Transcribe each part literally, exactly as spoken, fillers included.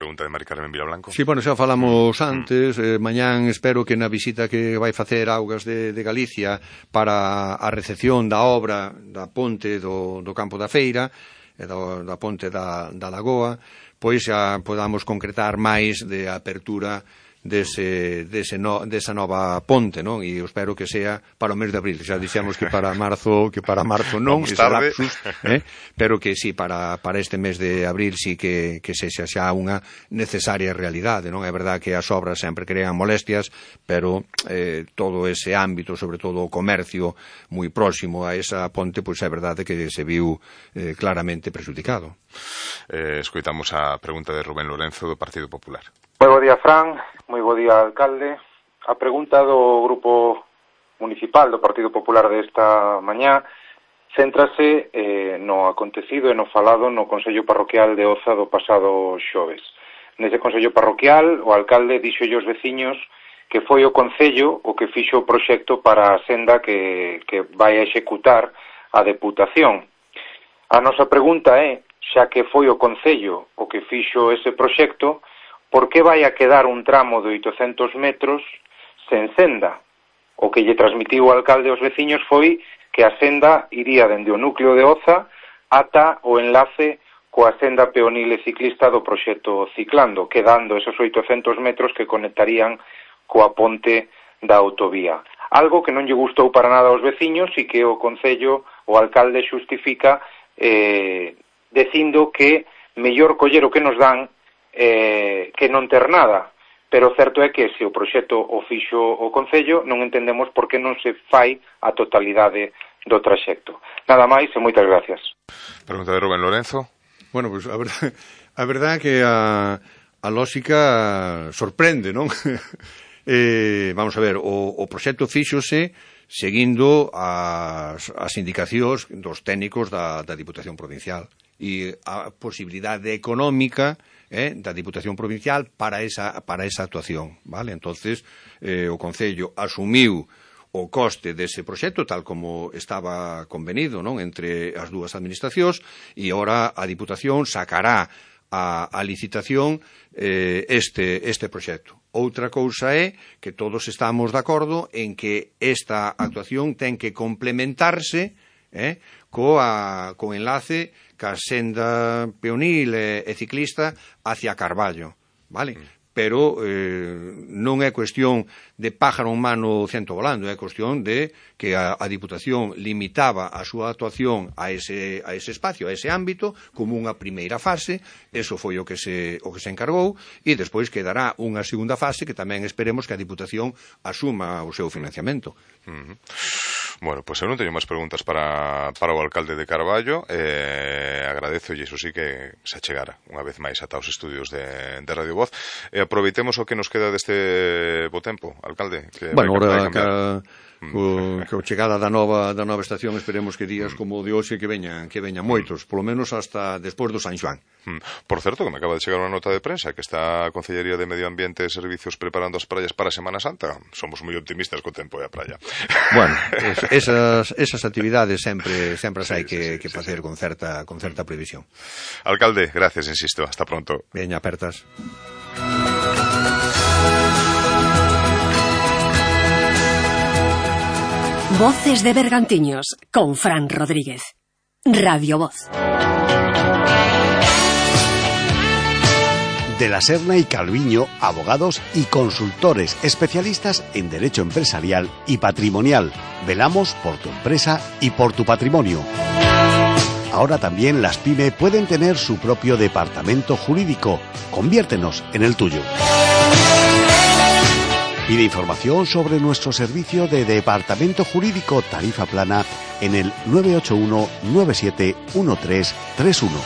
pregunta de Mari Carmen Vilablanco. Sí, bueno, xa falamos antes, eh, mañán espero que na visita que vai facer Augas de, de Galicia para a recepción da obra da ponte do, do Campo da Feira, e do, da ponte da, da Lagoa, pois xa podamos concretar máis de apertura dese, dese no, desa nova ponte, non? E eu espero que sea para o mes de abril. Xa dixemos que para marzo, que para marzo non, ese lapsus, eh? Pero que sí, para, para este mes de abril sí que, que sexa xa unha necesaria realidade, non? É verdad que as obras sempre crean molestias, pero eh, todo ese ámbito, sobre todo o comercio moi próximo a esa ponte, pois é verdade que se viu eh, claramente prejudicado. Eh, escoitamos a pregunta de Rubén Lorenzo do Partido Popular. Moi bo día, Fran. Moi bo día, alcalde. A pregunta do Grupo Municipal do Partido Popular desta mañá céntrase eh, no acontecido e no falado no Consello Parroquial de Oza do pasado xoves. Nese Consello Parroquial, o alcalde dixolle aos veciños que foi o Concello o que fixo o proxecto para a senda que, que vai a executar a Deputación. A nosa pregunta é, xa que foi o Concello o que fixo ese proxecto, por que vai a quedar un tramo de oitocentos metros sen senda? O que lle transmitiu o alcalde aos veciños foi que a senda iría dende o núcleo de Oza ata o enlace coa senda peonil e ciclista do proxecto Ciclando, quedando esos oitocentos metros que conectarían coa ponte da autovía. Algo que non lle gustou para nada aos veciños e que o Concello, o alcalde xustifica eh, dicindo que mellor coller o que nos dan Eh, que non ter nada, pero certo é que se o proxecto o fixo o Concello non entendemos por que non se fai a totalidade do traxecto. Nada máis e moitas gracias. Pregunta de Rubén Lorenzo. Bueno, pues a verdade, a verdade que a, a lógica sorprende, non? eh, vamos a ver, o, o proxecto fíxose seguindo as, as indicacións dos técnicos da, da Diputación Provincial e a posibilidade económica eh, da Diputación Provincial para esa, para esa actuación, vale? Entonces, eh, o Concello asumiu o coste dese proxecto tal como estaba convenido, non? Entre as dúas administracións e ora a Diputación sacará a, a licitación eh, este, este proxecto. Outra cousa é que todos estamos de acordo en que esta actuación ten que complementarse eh, coa, co enlace ca senda peonil e, e ciclista hacia Carballo, vale? Mm. Pero eh, non é cuestión de pájaro en mano cento volando, é cuestión de que a, a Diputación limitaba a súa actuación a ese, a ese espacio, a ese ámbito, como unha primeira fase, eso foi o que se, o que se encargou, e despois quedará unha segunda fase que tamén esperemos que a Diputación asuma o seu financiamento. Uh-huh. Bueno, pois pues eu non teño máis preguntas para, para o alcalde de Carballo. eh, agradezo e iso sí que se achegara unha vez máis ata os estudios de, de Radio Voz. E aproveitemos o que nos queda deste bo tempo, alcalde, que bueno, vai, vai ahora que, co, que o chegada da nova da nova estación esperemos que días como o de hoxe que veñan, que veñan moitos, polo menos hasta despois do San Xoán. Por certo, que me acaba de chegar unha nota de prensa que está a Concellería de Medio Ambiente e Servicios preparando as praias para a Semana Santa. Somos moi optimistas co tempo e a praia. Bueno, es, esas, esas actividades sempre sempre as hai sí, que, sí, sí, que facer sí, con certa con certa previsión. Alcalde, gracias, insisto, hasta pronto. Veña, apertas. Voces de Bergantiños con Fran Rodríguez. Radio Voz. De la Serna y Calviño, abogados y consultores especialistas en derecho empresarial y patrimonial. Velamos por tu empresa y por tu patrimonio. Ahora también las PYME pueden tener su propio departamento jurídico. Conviértenos en el tuyo. Pide información sobre nuestro servicio de departamento jurídico tarifa plana en el nueve ocho uno nueve siete uno tres tres uno.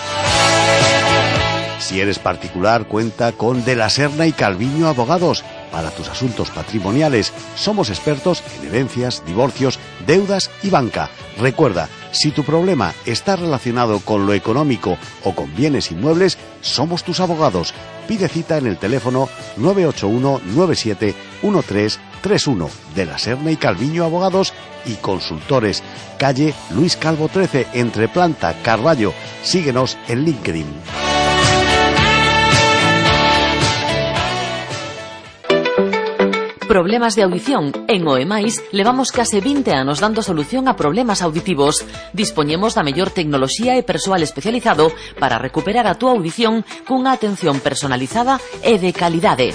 Si eres particular, cuenta con De la Serna y Calviño Abogados. Para tus asuntos patrimoniales, somos expertos en herencias, divorcios, deudas y banca. Recuerda, si tu problema está relacionado con lo económico o con bienes inmuebles, somos tus abogados. Pide cita en el teléfono nueve ocho uno nueve siete uno tres tres uno. De la Serna y Calviño Abogados y Consultores. Calle Luis Calvo trece, entre Planta, Carballo. Síguenos en LinkedIn. Problemas de audición. En Oemais levamos case vinte anos dando solución a problemas auditivos. Dispoñemos da mellor tecnoloxía e persoal especializado para recuperar a túa audición cunha atención personalizada e de calidade.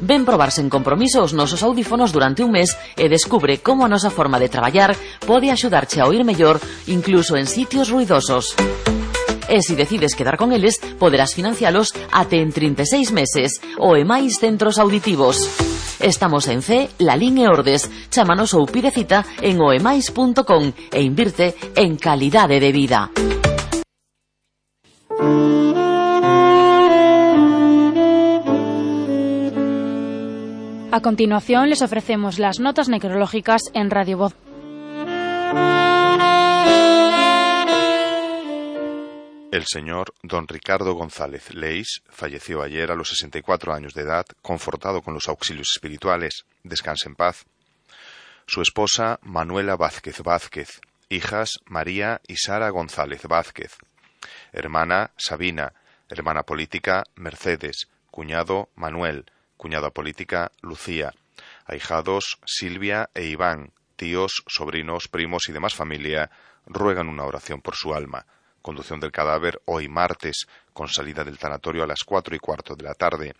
Ven probar sen compromiso os nosos audífonos durante un mes e descubre como a nosa forma de traballar pode axudarche a oír mellor incluso en sitios ruidosos. E se decides quedar con eles, poderás financialos até en trinta e seis meses. Oemais Centros Auditivos. Estamos en C, Lalín e Ordes. Chámanos ou pide cita en oemais punto com e invirte en calidade de vida. A continuación les ofrecemos las notas necrológicas en Radio Voz. El señor don Ricardo González Leis falleció ayer a los sesenta y cuatro años de edad, confortado con los auxilios espirituales. Descanse en paz. Su esposa, Manuela Vázquez Vázquez. Hijas, María y Sara González Vázquez. Hermana, Sabina. Hermana política, Mercedes. Cuñado, Manuel. Cuñada política, Lucía. Ahijados, Silvia e Iván. Tíos, sobrinos, primos y demás familia ruegan una oración por su alma. Conducción del cadáver hoy martes, con salida del tanatorio a las cuatro y cuarto de la tarde.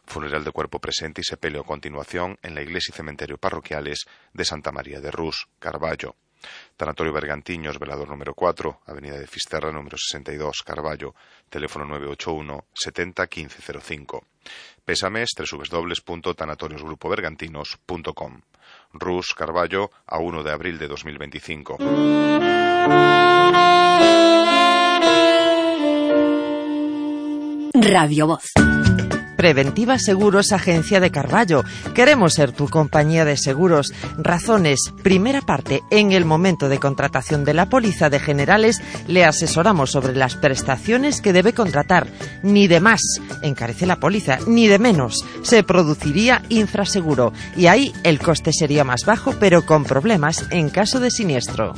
Funeral de cuerpo presente y sepelio a continuación en la iglesia y cementerio parroquiales de Santa María de Rús, Carballo. Tanatorio Bergantiños, velador número cuatro, avenida de Fisterra, número sesenta y dos, Carballo. Teléfono nueve ocho uno, setenta, quince cero cinco. Pésames, doble u doble u doble u punto tanatorios grupo bergantinos punto com. Rús, Carballo, a uno de abril de dos mil veinticinco. Radio Voz. Preventiva Seguros, Agencia de Carballo. Queremos ser tu compañía de seguros. Razones. Primera parte. En el momento de contratación de la póliza de generales, le asesoramos sobre las prestaciones que debe contratar. Ni de más encarece la póliza, ni de menos. Se produciría infraseguro. Y ahí el coste sería más bajo, pero con problemas en caso de siniestro.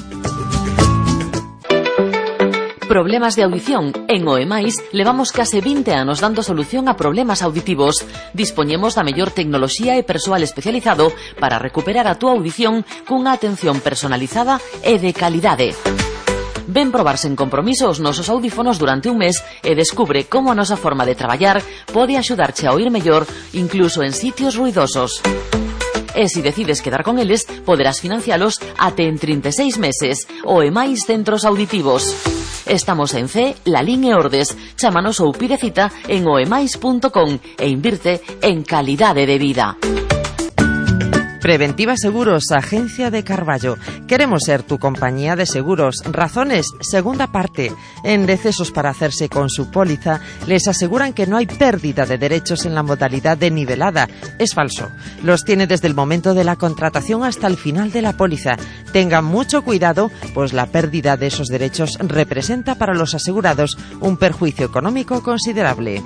Problemas de audición. En Oemais levamos case vinte anos dando solución a problemas auditivos. Dispoñemos da mellor tecnoloxía e persoal especializado para recuperar a túa audición cunha atención personalizada e de calidade. Ven probar sen compromiso os nosos audífonos durante un mes e descubre como a nosa forma de traballar pode axudarche a oír mellor incluso en sitios ruidosos. E se decides quedar con eles, poderás financialos até en trinta e seis meses. Oemais Centros Auditivos. Estamos en C, Lalín e Ordes. Chámanos ou pide cita en oemais punto com e invirte en calidade de vida. Preventiva Seguros, Agencia de Carballo. Queremos ser tu compañía de seguros. Razones, segunda parte. En decesos para hacerse con su póliza, les aseguran que no hay pérdida de derechos en la modalidad de nivelada. Es falso. Los tiene desde el momento de la contratación hasta el final de la póliza. Tengan mucho cuidado, pues la pérdida de esos derechos representa para los asegurados un perjuicio económico considerable.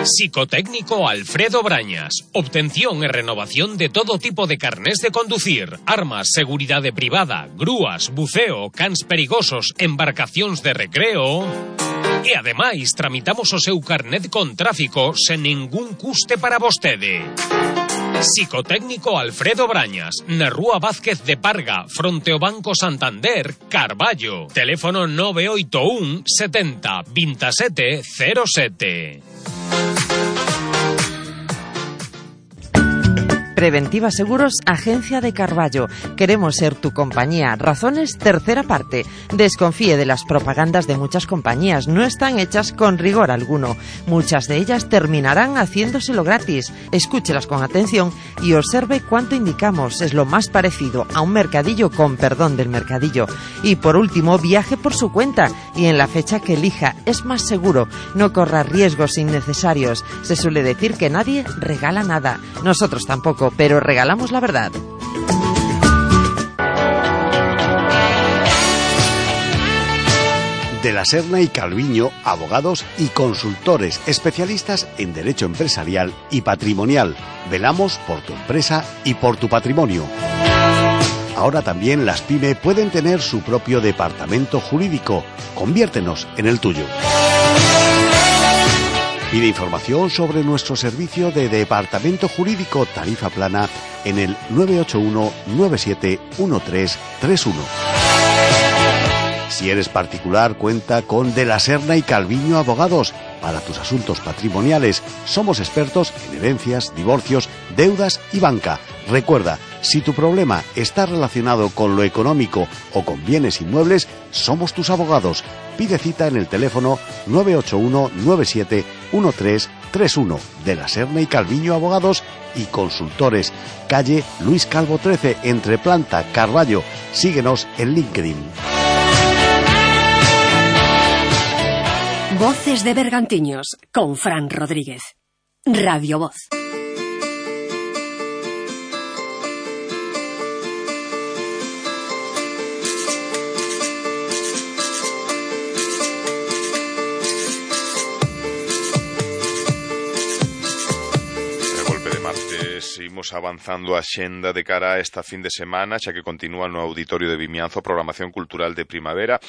Psicotécnico Alfredo Brañas. Obtención e renovación de todo tipo de carnés de conducir, armas, seguridade privada, grúas, buceo, cans perigosos, embarcacións de recreo. E ademais tramitamos o seu carnet con tráfico sen ningún custe para vostede. Psicotécnico Alfredo Brañas, na Rúa Vázquez de Parga, fronte ao Banco Santander, Carballo. Teléfono nove oito un, setenta, veintisiete cero sete. Preventiva Seguros, Agencia de Carballo. Queremos ser tu compañía. Razones, tercera parte. Desconfíe de las propagandas de muchas compañías. No están hechas con rigor alguno. Muchas de ellas terminarán haciéndoselo gratis. Escúchelas con atención y observe cuánto indicamos. Es lo más parecido a un mercadillo, con perdón del mercadillo. Y por último, viaje por su cuenta y en la fecha que elija. Es más seguro. No corra riesgos innecesarios. Se suele decir que nadie regala nada. Nosotros tampoco, pero regalamos la verdad. De la Serna y Calviño, abogados y consultores especialistas en derecho empresarial y patrimonial. Velamos por tu empresa y por tu patrimonio. Ahora también las pyme pueden tener su propio departamento jurídico. Conviértenos en el tuyo. Pide información sobre nuestro servicio de Departamento Jurídico Tarifa Plana en el nueve ocho uno nueve siete uno tres tres uno. Si eres particular, cuenta con De la Serna y Calviño Abogados. Para tus asuntos patrimoniales, somos expertos en herencias, divorcios, deudas y banca. Recuerda, si tu problema está relacionado con lo económico o con bienes inmuebles, somos tus abogados. Pide cita en el teléfono nueve ocho uno nueve siete uno tres tres uno. De la Serna y Calviño Abogados y Consultores. Calle Luis Calvo trece, entre Planta, Carballo. Síguenos en LinkedIn. Voces de Bergantiños, con Fran Rodríguez. Radio Voz. Imos avanzando a xenda de cara a esta fin de semana, xa que continúa no Auditorio de Vimianzo a programación cultural de primavera.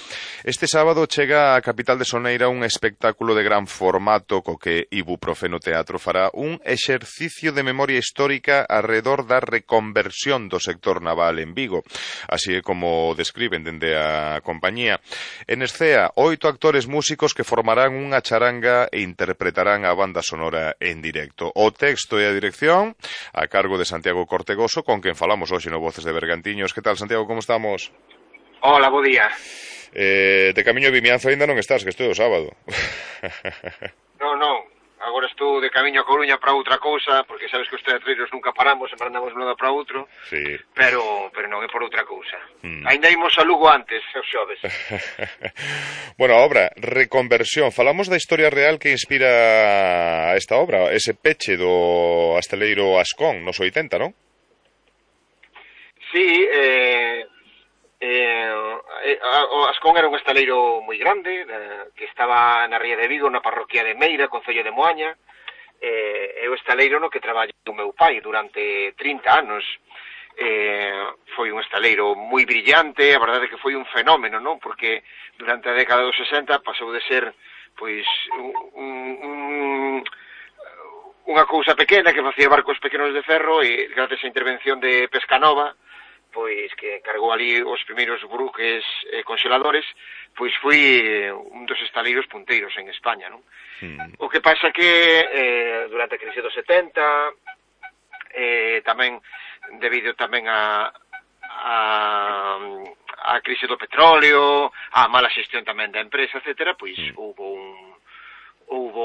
Este sábado chega á capital de Soneira un espectáculo de gran formato co que Ibuprofeno Teatro fará un exercicio de memoria histórica arredor da reconversión do sector naval en Vigo, así é como describen dende a compañía. En escea, oito actores músicos que formarán unha charanga e interpretarán a banda sonora en directo. O texto e a dirección a cargo de Santiago Cortegoso, con quen falamos hoxe no Voces de Bergantiños. Que tal, Santiago, como estamos? Hola, bo día. Eh, de camiño a Vimianzo ainda non estás, que estou o sábado. Non, non, agora estou de camiño a Coruña para outra cousa, porque sabes que os teatreiros nunca paramos, sempre andamos de un lado para outro, sí. pero pero non é por outra cousa. Hmm. Ainda imos a Lugo antes, os xoves. Bueno, a obra, Reconversión. Falamos da historia real que inspira a esta obra, ese peche do asteleiro Ascón nos oitenta, non? Sí, eh... Eh, o Ascón era un estaleiro moi grande eh, que estaba na ría de Vigo, na parroquia de Meira, concello de Moaña. eh, é o estaleiro no que traballou o meu pai durante trinta anos. Eh, foi un estaleiro moi brillante, a verdade é que foi un fenómeno, non? Porque durante a década dos sesenta pasou de ser pois un, un, unha cousa pequena que facía barcos pequenos de ferro, e gracias á intervención de Pescanova, pois que cargou ali os primeiros buques eh, congeladores, pois foi eh, un dos estaleiros punteiros en España, non? Mm. O que pasa que eh, durante a crise dos setenta, eh, tamén debido tamén a, a a crise do petróleo, a mala xestión tamén da empresa, etcétera, pois mm. houve un houve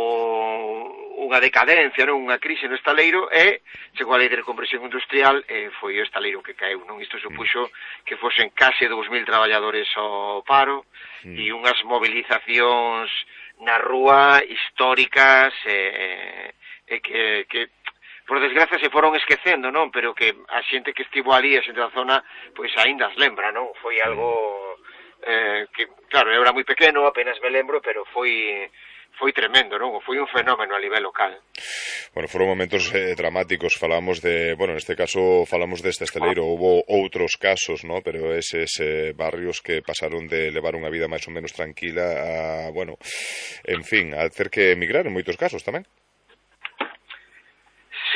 unha decadencia, non? Unha crise no estaleiro, e chegou a lei de reconversión industrial e foi o estaleiro que caeu, non? Isto supuxo que fosen case dous mil traballadores ao paro mm. e unhas movilizacións na rúa históricas e, e que, que por desgracia se foron esquecendo, non? Pero que a xente que estivo ali, a xente da zona, pois aínda as lembra, non? Foi algo eh, que, claro, eu era moi pequeno, apenas me lembro, pero foi foi tremendo, non? Foi un fenómeno a nivel local. Bueno, foron momentos eh, dramáticos, falamos de, bueno, neste caso falamos deste estaleiro, houve outros casos, ¿no? Pero eses eh, barrios que pasaron de levar unha vida máis ou menos tranquila a, bueno, en fin, a ter que emigrar en moitos casos tamén.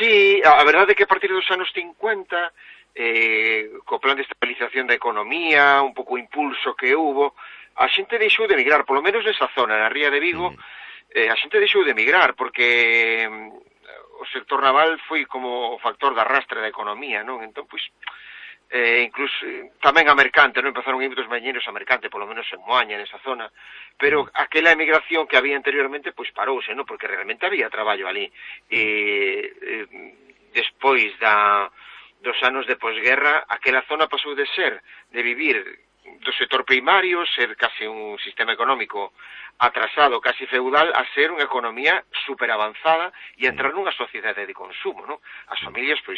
Sí, a verdade é que a partir dos anos cincuenta, eh, co plan de estabilización da economía, un pouco o impulso que hubo, a xente deixou de emigrar, polo menos nesa zona, na ría de Vigo, mm. eh, a xente deixou de emigrar, porque o sector naval foi como o factor de arrastre da economía, non? Entón, pois, eh, incluso tamén a mercante, non? Empezaron a ir dos mañeiros a mercante, polo menos en Moaña, nesa zona, pero aquela emigración que había anteriormente, pois parouse, non? Porque realmente había traballo ali. E, eh, despois da, dos anos de posguerra, aquela zona pasou de ser, de vivir do sector primario, ser case un sistema económico atrasado, casi feudal, a ser unha economía super avanzada e entrar nunha sociedade de consumo, non? As familias, pois,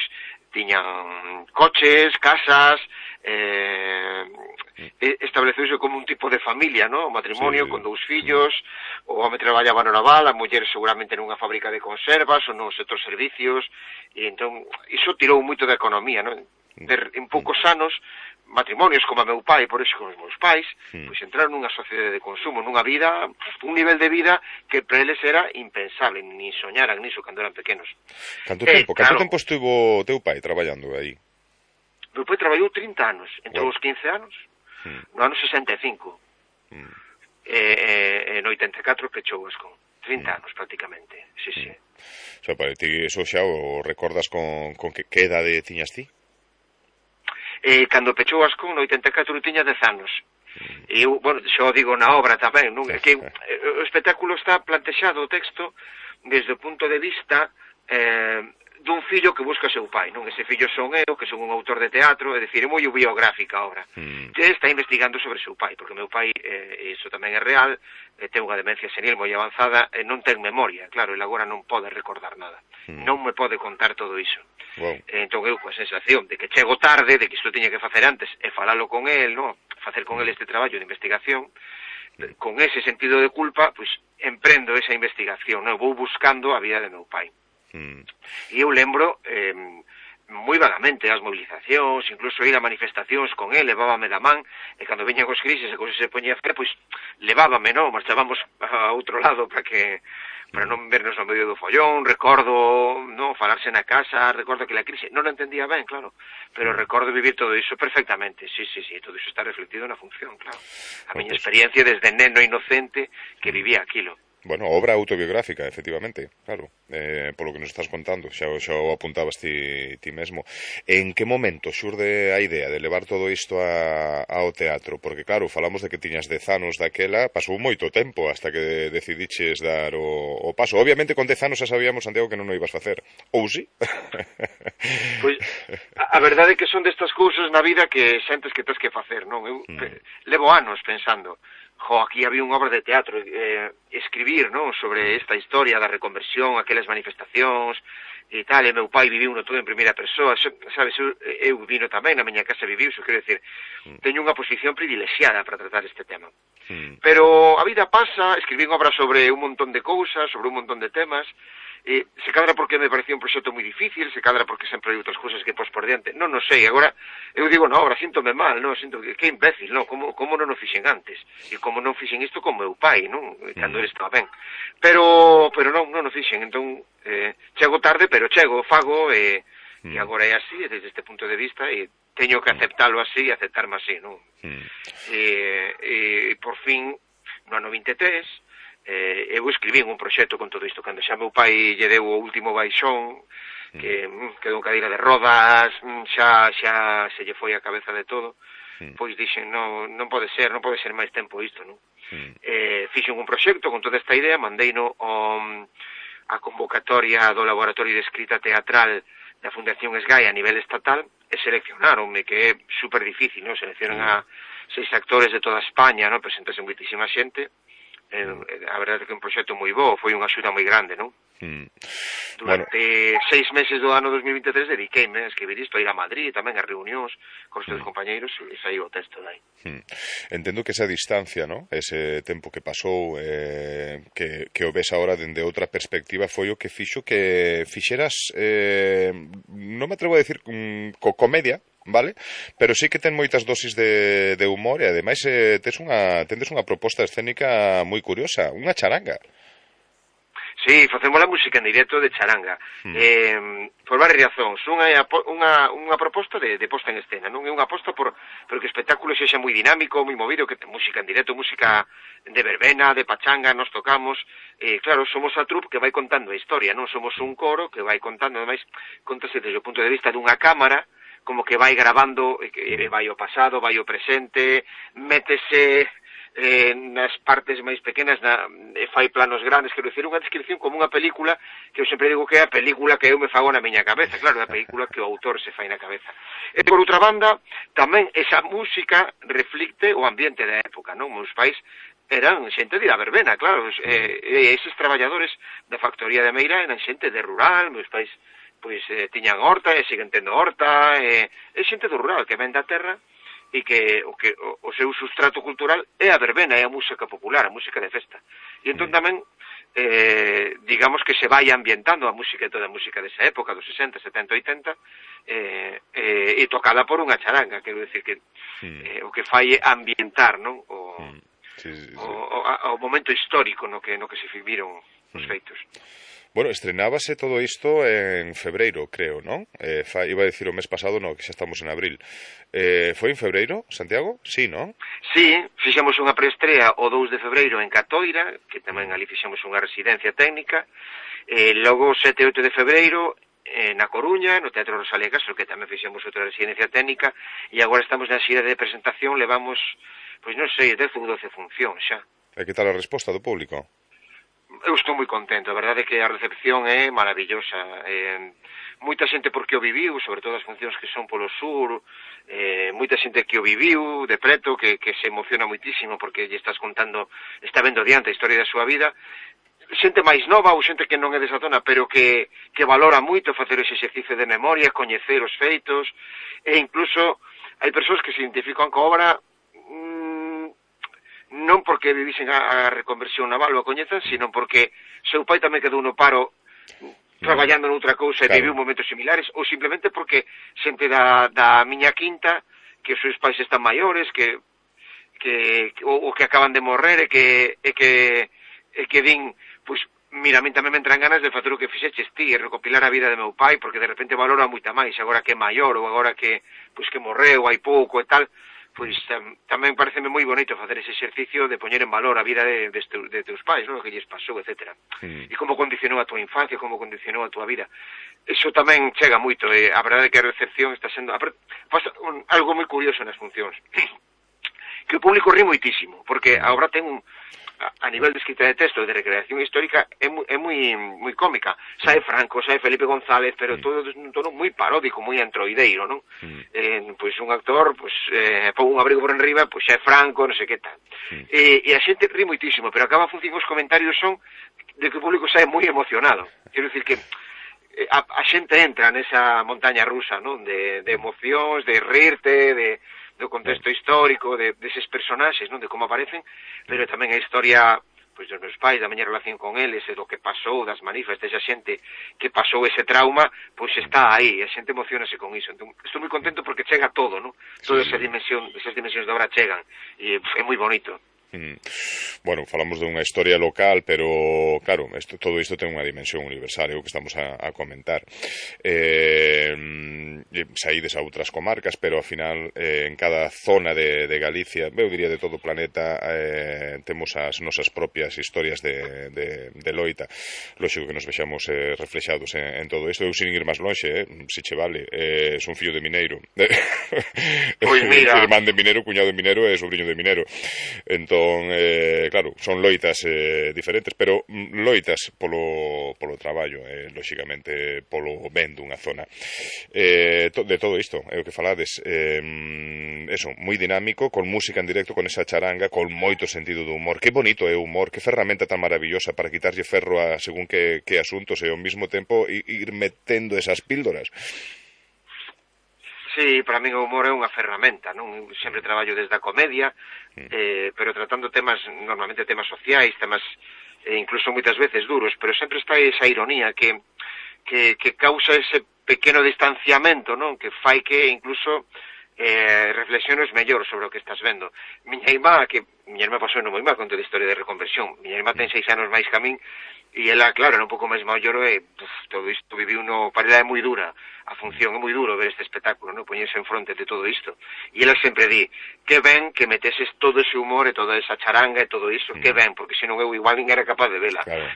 tiñan coches, casas, eh, estableceuse como un tipo de familia, non? O matrimonio sí, con dous fillos, o home traballaba no naval, a muller seguramente nunha fábrica de conservas ou no sector servicios, e entón, iso tirou moito da economía, non? En poucos anos matrimonios como a meu pai, por iso con os meus pais, Mm. pois entraron nunha sociedade de consumo, nunha vida, un nivel de vida que para eles era impensable, ni soñaran niso cando eran pequenos. Canto Eh, tempo, canto claro. tempo estivo teu pai traballando aí? Meu pai traballou trinta anos, entre Wow. os quince anos, Mm. no ano sesenta e cinco, Mm. e, e no oitenta e catro pechou Ascón, trinta anos prácticamente, sí, sí. O sea, para ti eso xa o recordas con, con que, que edade tiñas ti? E cando pechou Ascón no oitenta e catro tiña dez anos. E eu, bueno, xo digo na obra tamén, non? É que eh, o espectáculo está plantexado, o texto, desde o punto de vista eh, dun fillo que busca seu pai, non? Ese fillo son eu, que son un autor de teatro, é dicir, é moi biográfica a obra. Mm. Que está investigando sobre seu pai, porque meu pai, eh, iso tamén é real, eh, ten unha demencia senil moi avanzada, e non ten memoria, claro, ele agora non pode recordar nada. Mm. Non me pode contar todo iso. Wow. Entón eu coa sensación de que chego tarde, de que isto tiña que facer antes e falalo con el, no? Facer con el este traballo de investigación, con ese sentido de culpa, pois emprendo esa investigación, no? Vou buscando a vida de meu pai. Mm. E eu lembro eh, moi vagamente as movilizacións, incluso ir a manifestacións con el, levábame da man, e cando veñan os crisis e cousas se poñía fe, pois levábame, non? Marchábamos a outro lado para que para non vernos no medio do follón. Recordo, non, falarse na casa, recordo que la crise non o entendía ben, claro, pero recordo vivir todo iso perfectamente. Sí, sí, sí, todo iso está reflectido na función, claro. A miña experiencia desde neno inocente que vivía aquilo. Bueno, obra autobiográfica, efectivamente, claro, eh, polo que nos estás contando, xa, xa o apuntabas ti, ti mesmo. En que momento xurde a idea de levar todo isto a, ao teatro? Porque, claro, falamos de que tiñas dez anos daquela, pasou moito tempo hasta que decidiches dar o, o paso. Obviamente, con dez anos xa sabíamos, Santiago, que non o ibas facer. Ou sí? Pois, a, a verdade é que son destas cousas na vida que sentes que tens que facer, non? Eu Mm. pe, levo anos pensando, jo, aquí había unha obra de teatro, eh, escribir, non, sobre esta historia da reconversión, aquelas manifestacións e tal, e meu pai viviu no todo en primeira persoa, so, sabes, eu, eu vino tamén, na miña casa viviu, so quero decir, teño unha posición privilexiada para tratar este tema. Mm. Pero a vida pasa, escribín obras sobre un montón de cousas, sobre un montón de temas, e se cadra porque me parecía un proxecto moi difícil, se cadra porque sempre hai outras cousas que pos por diante, non, non sei, agora eu digo na obra, síntome mal, non, sinto que, que imbécil, non, como, como non o fixen antes, e como non fixen isto con meu pai, non, cando ele estaba ben, pero, pero non, non o fixen, entón, eh, chego tarde, pero chego, fago, e, e agora é así, desde este punto de vista, e teño que aceptalo así, e aceptarme así, non, Mm. e, e, por fin, no ano vinte e tres, eh, eu escribín un proxecto con todo isto, cando xa meu pai lle deu o último baixón, que mm, quedou cadeira de rodas, mm, xa, xa se lle foi a cabeza de todo, Mm. pois dixen, non, non pode ser, non pode ser máis tempo isto, non? Mm. Eh, fixen un proxecto con toda esta idea, mandeino o, a convocatoria do Laboratorio de Escrita Teatral da Fundación Esgai a nivel estatal, e seleccionaronme, que é super difícil, non? Seleccionan a seis actores de toda España, non? Presentase moitísima xente, eh, a verdade é que é un proxecto moi bo, foi unha axuda moi grande, non? Mm. Durante bueno. seis meses do ano dos mil vinte e tres dediqueime a escribir isto, a ir a Madrid, tamén a reunións con os teus mm. compañeiros, e saiu o texto dai. Mm. Entendo que esa distancia, ¿no? Ese tempo que pasou, eh, que, que o ves agora dende outra perspectiva, foi o que fixo que fixeras, eh, non me atrevo a decir mm, co comedia, vale? Pero sí que ten moitas dosis de, de humor e ademais eh, tes unha, tendes unha proposta escénica moi curiosa, unha charanga. Sí, facemos a música en directo de charanga. Mm. Eh, por varias razóns. Unha é unha, unha proposta de, de posta en escena, non é unha aposta por, por que o espectáculo sexa moi dinámico, moi movido, que ten música en directo, música de verbena, de pachanga, nos tocamos. Eh, claro, somos a troupe que vai contando a historia, non somos un coro que vai contando, ademais, contase desde o punto de vista dunha cámara, como que vai grabando, que vai o pasado, vai o presente, métese eh, nas partes máis pequenas, na, e fai planos grandes, quero dicir, unha descripción como unha película, que eu sempre digo que é a película que eu me fago na miña cabeza, claro, é a película que o autor se fai na cabeza. E por outra banda, tamén esa música reflicte o ambiente da época, non? Meus pais eran xente de la verbena, claro, e, e eses traballadores da factoría de Meira eran xente de rural, meus pais pois eh, tiñan horta e siguen tendo horta, e, e xente do rural que ven da terra e que o que o, o seu sustrato cultural é a verbena, é a música popular, a música de festa. E entón tamén eh, digamos que se vai ambientando a música, toda a música desa época, dos sesenta, setenta, oitenta, eh, eh, e tocada por unha charanga, quero decir que mm. eh, o que fai é ambientar, non? O, mm. sí, sí, sí. O, o, o momento histórico no que, no que se viviron os feitos. Bueno, estrenábase todo isto en febreiro, creo, non? Eh, fa, iba a dicir o mes pasado, no, que xa estamos en abril. Eh, foi en febreiro, Santiago? Sí, non? Sí, fixemos unha preestrea o dous de febreiro en Catoira, que tamén ali fixemos unha residencia técnica, e logo o sete e oito de febreiro eh, na Coruña, no Teatro Rosalía Castro, que tamén fixemos outra residencia técnica, e agora estamos na xira de presentación, levamos, pois non sei, dez ou doce funcións xa. E que tal a resposta do público? Eu estou moi contento, a verdade é que a recepción é maravillosa. Eh, moita xente porque o viviu, sobre todo as funcións que son polo sur, eh, moita xente que o viviu de preto, que, que se emociona moitísimo porque lle estás contando, está vendo adiante a historia da súa vida. Xente máis nova ou xente que non é desa zona, pero que, que valora moito facer ese exercicio de memoria, coñecer os feitos, e incluso hai persoas que se identifican coa obra mmm, non porque vivisen a, a reconversión naval ou a coñezan, sino porque seu pai tamén quedou no paro traballando noutra cousa e claro. Viviu momentos similares, ou simplemente porque xente da, da miña quinta, que os seus pais están maiores, que, que ou, ou que acaban de morrer e que, e que, e que din, pois, mira, a min tamén me entran ganas de facer o que fixeches ti, e recopilar a vida de meu pai, porque de repente valora moita máis, agora que é maior, ou agora que, pois, que morreu hai pouco e tal. Pois tam, tamén pareceme moi bonito facer ese exercicio de poñer en valor a vida de, de, de teus pais, non? O que lles pasou, etcétera. Mm. E como condicionou a tua infancia, como condicionou a tua vida. Eso tamén chega moito, e a verdade é que a recepción está sendo... Pasa un, algo moi curioso nas funcións. Que o público ri moitísimo, porque a obra ten un... a nivel de escrita de texto, de recreación histórica, é moi, é moi, moi cómica. Sae Franco, sae Felipe González, pero todo nun tono moi paródico, moi antroideiro, non? Mm. Eh, pois un actor, pois, eh, pon un abrigo por enriba, pois xa é Franco, non sei que tal. Mm. E, e a xente ri moitísimo, pero acaba función os comentarios son de que o público sae moi emocionado. Quero dicir que a, a xente entra nesa montaña rusa, non? De, de emocións, de rirte, de... do contexto histórico, de, deses personaxes, non, de como aparecen, pero tamén a historia, pois, dos meus pais, da miña relación con eles, e do que pasou, das manifas, desa xente que pasou ese trauma, pois está aí, a xente emocionase con iso. Entón, estou moi contento porque chega todo, non? Todas esas dimensións, esas dimensións da obra chegan, e é moi bonito. Mm. Bueno, falamos dunha historia local, pero claro, esto, todo isto ten unha dimensión universal, é o que estamos a, a comentar. Eh, saídes a outras comarcas, pero ao final eh, en cada zona de, de Galicia, eu diría de todo o planeta, eh, temos as nosas propias historias de, de, de loita. Lógico que nos vexamos eh, reflexados en, en todo isto. Eu sin ir máis lonxe, eh, se che vale, eh, son fillo de mineiro. Pois mira, irmán de mineiro, cuñado de mineiro e sobrinho de mineiro. Entón, Eh, claro, son loitas eh, diferentes, pero loitas polo, polo traballo, eh, lóxicamente polo ben dunha zona. Eh, to, de todo isto, é o que falades, eh, eso, moi dinámico, con música en directo, con esa charanga, con moito sentido do humor. Que bonito é o humor, que ferramenta tan maravillosa para quitarlle ferro a según que, que asuntos e ao mesmo tempo ir metendo esas píldoras. Sí, para min o humor é unha ferramenta, non? Eu sempre traballo desde a comedia, eh, pero tratando temas, normalmente temas sociais, temas eh, incluso moitas veces duros, pero sempre está esa ironía que, que, que causa ese pequeno distanciamento, non? Que fai que incluso eh, reflexiones mellor sobre o que estás vendo. Miña irmá, que miña irmá pasou no moi mal con toda a historia de reconversión, miña irmá ten seis anos máis que a min, e ela, claro, era un pouco máis maior e uf, todo isto viviu no... Para ela é moi dura a función, é moi duro ver este espectáculo, non? Poñerse en fronte de todo isto. E ela sempre di, que ben que meteses todo ese humor e toda esa charanga e todo iso, mm. que ben, porque senón eu igual nin era capaz de vela. Claro.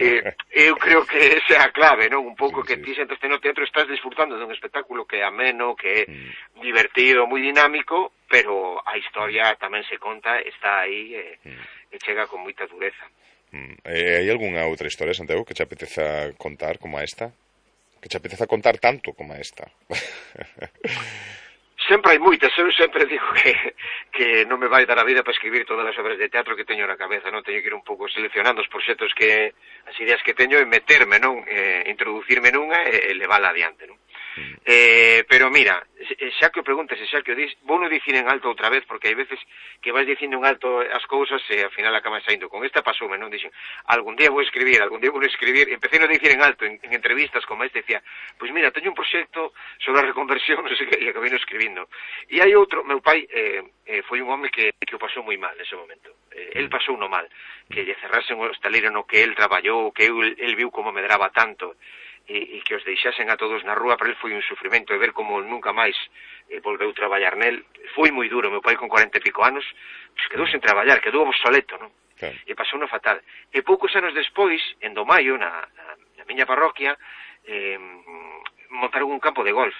e, eu creo que esa é a clave, non? Un pouco sí, que sí. Ti sentaste no teatro estás disfrutando dun espectáculo que é ameno, que é mm. divertido, moi dinámico, pero a historia tamén se conta, está aí e, mm. e chega con moita dureza. Mm. Eh, hai algunha outra historia, Santiago, que te apeteza contar como esta? Que te apeteza contar tanto como esta? Sempre hai moitas, eu sempre digo que, que non me vai dar a vida para escribir todas as obras de teatro que teño na cabeza, non? Teño que ir un pouco seleccionando os proxectos que, as ideas que teño e meterme, non? Eh, introducirme nunha e, e levala adiante, non? Eh, pero mira, xa que o preguntas e xa que o dis, vou non dicir en alto outra vez, porque hai veces que vais dicindo en alto as cousas e ao final acaban saindo. Con esta pasoume, non? Dixen, algún día vou escribir, algún día vou escribir, e empecé a dicir en alto, en, en entrevistas como este, decía, pois mira, teño un proxecto sobre a reconversión, non sei que, e acabei non escribindo. E hai outro, meu pai eh, eh, foi un home que, que o pasou moi mal nese momento. Eh, el pasou no mal, que lle cerrasen o estaleiro no que el traballou, que el, el viu como medraba tanto, e, e que os deixasen a todos na rúa, para el foi un sufrimento, e ver como nunca máis eh, volveu traballar nel, foi moi duro. Meu pai con cuarenta e pico anos, pues, quedou sen traballar, quedou obsoleto, non? Claro. E pasou no fatal. E poucos anos despois, en Domaio, na, na, na miña parroquia, eh, montaron un campo de golf,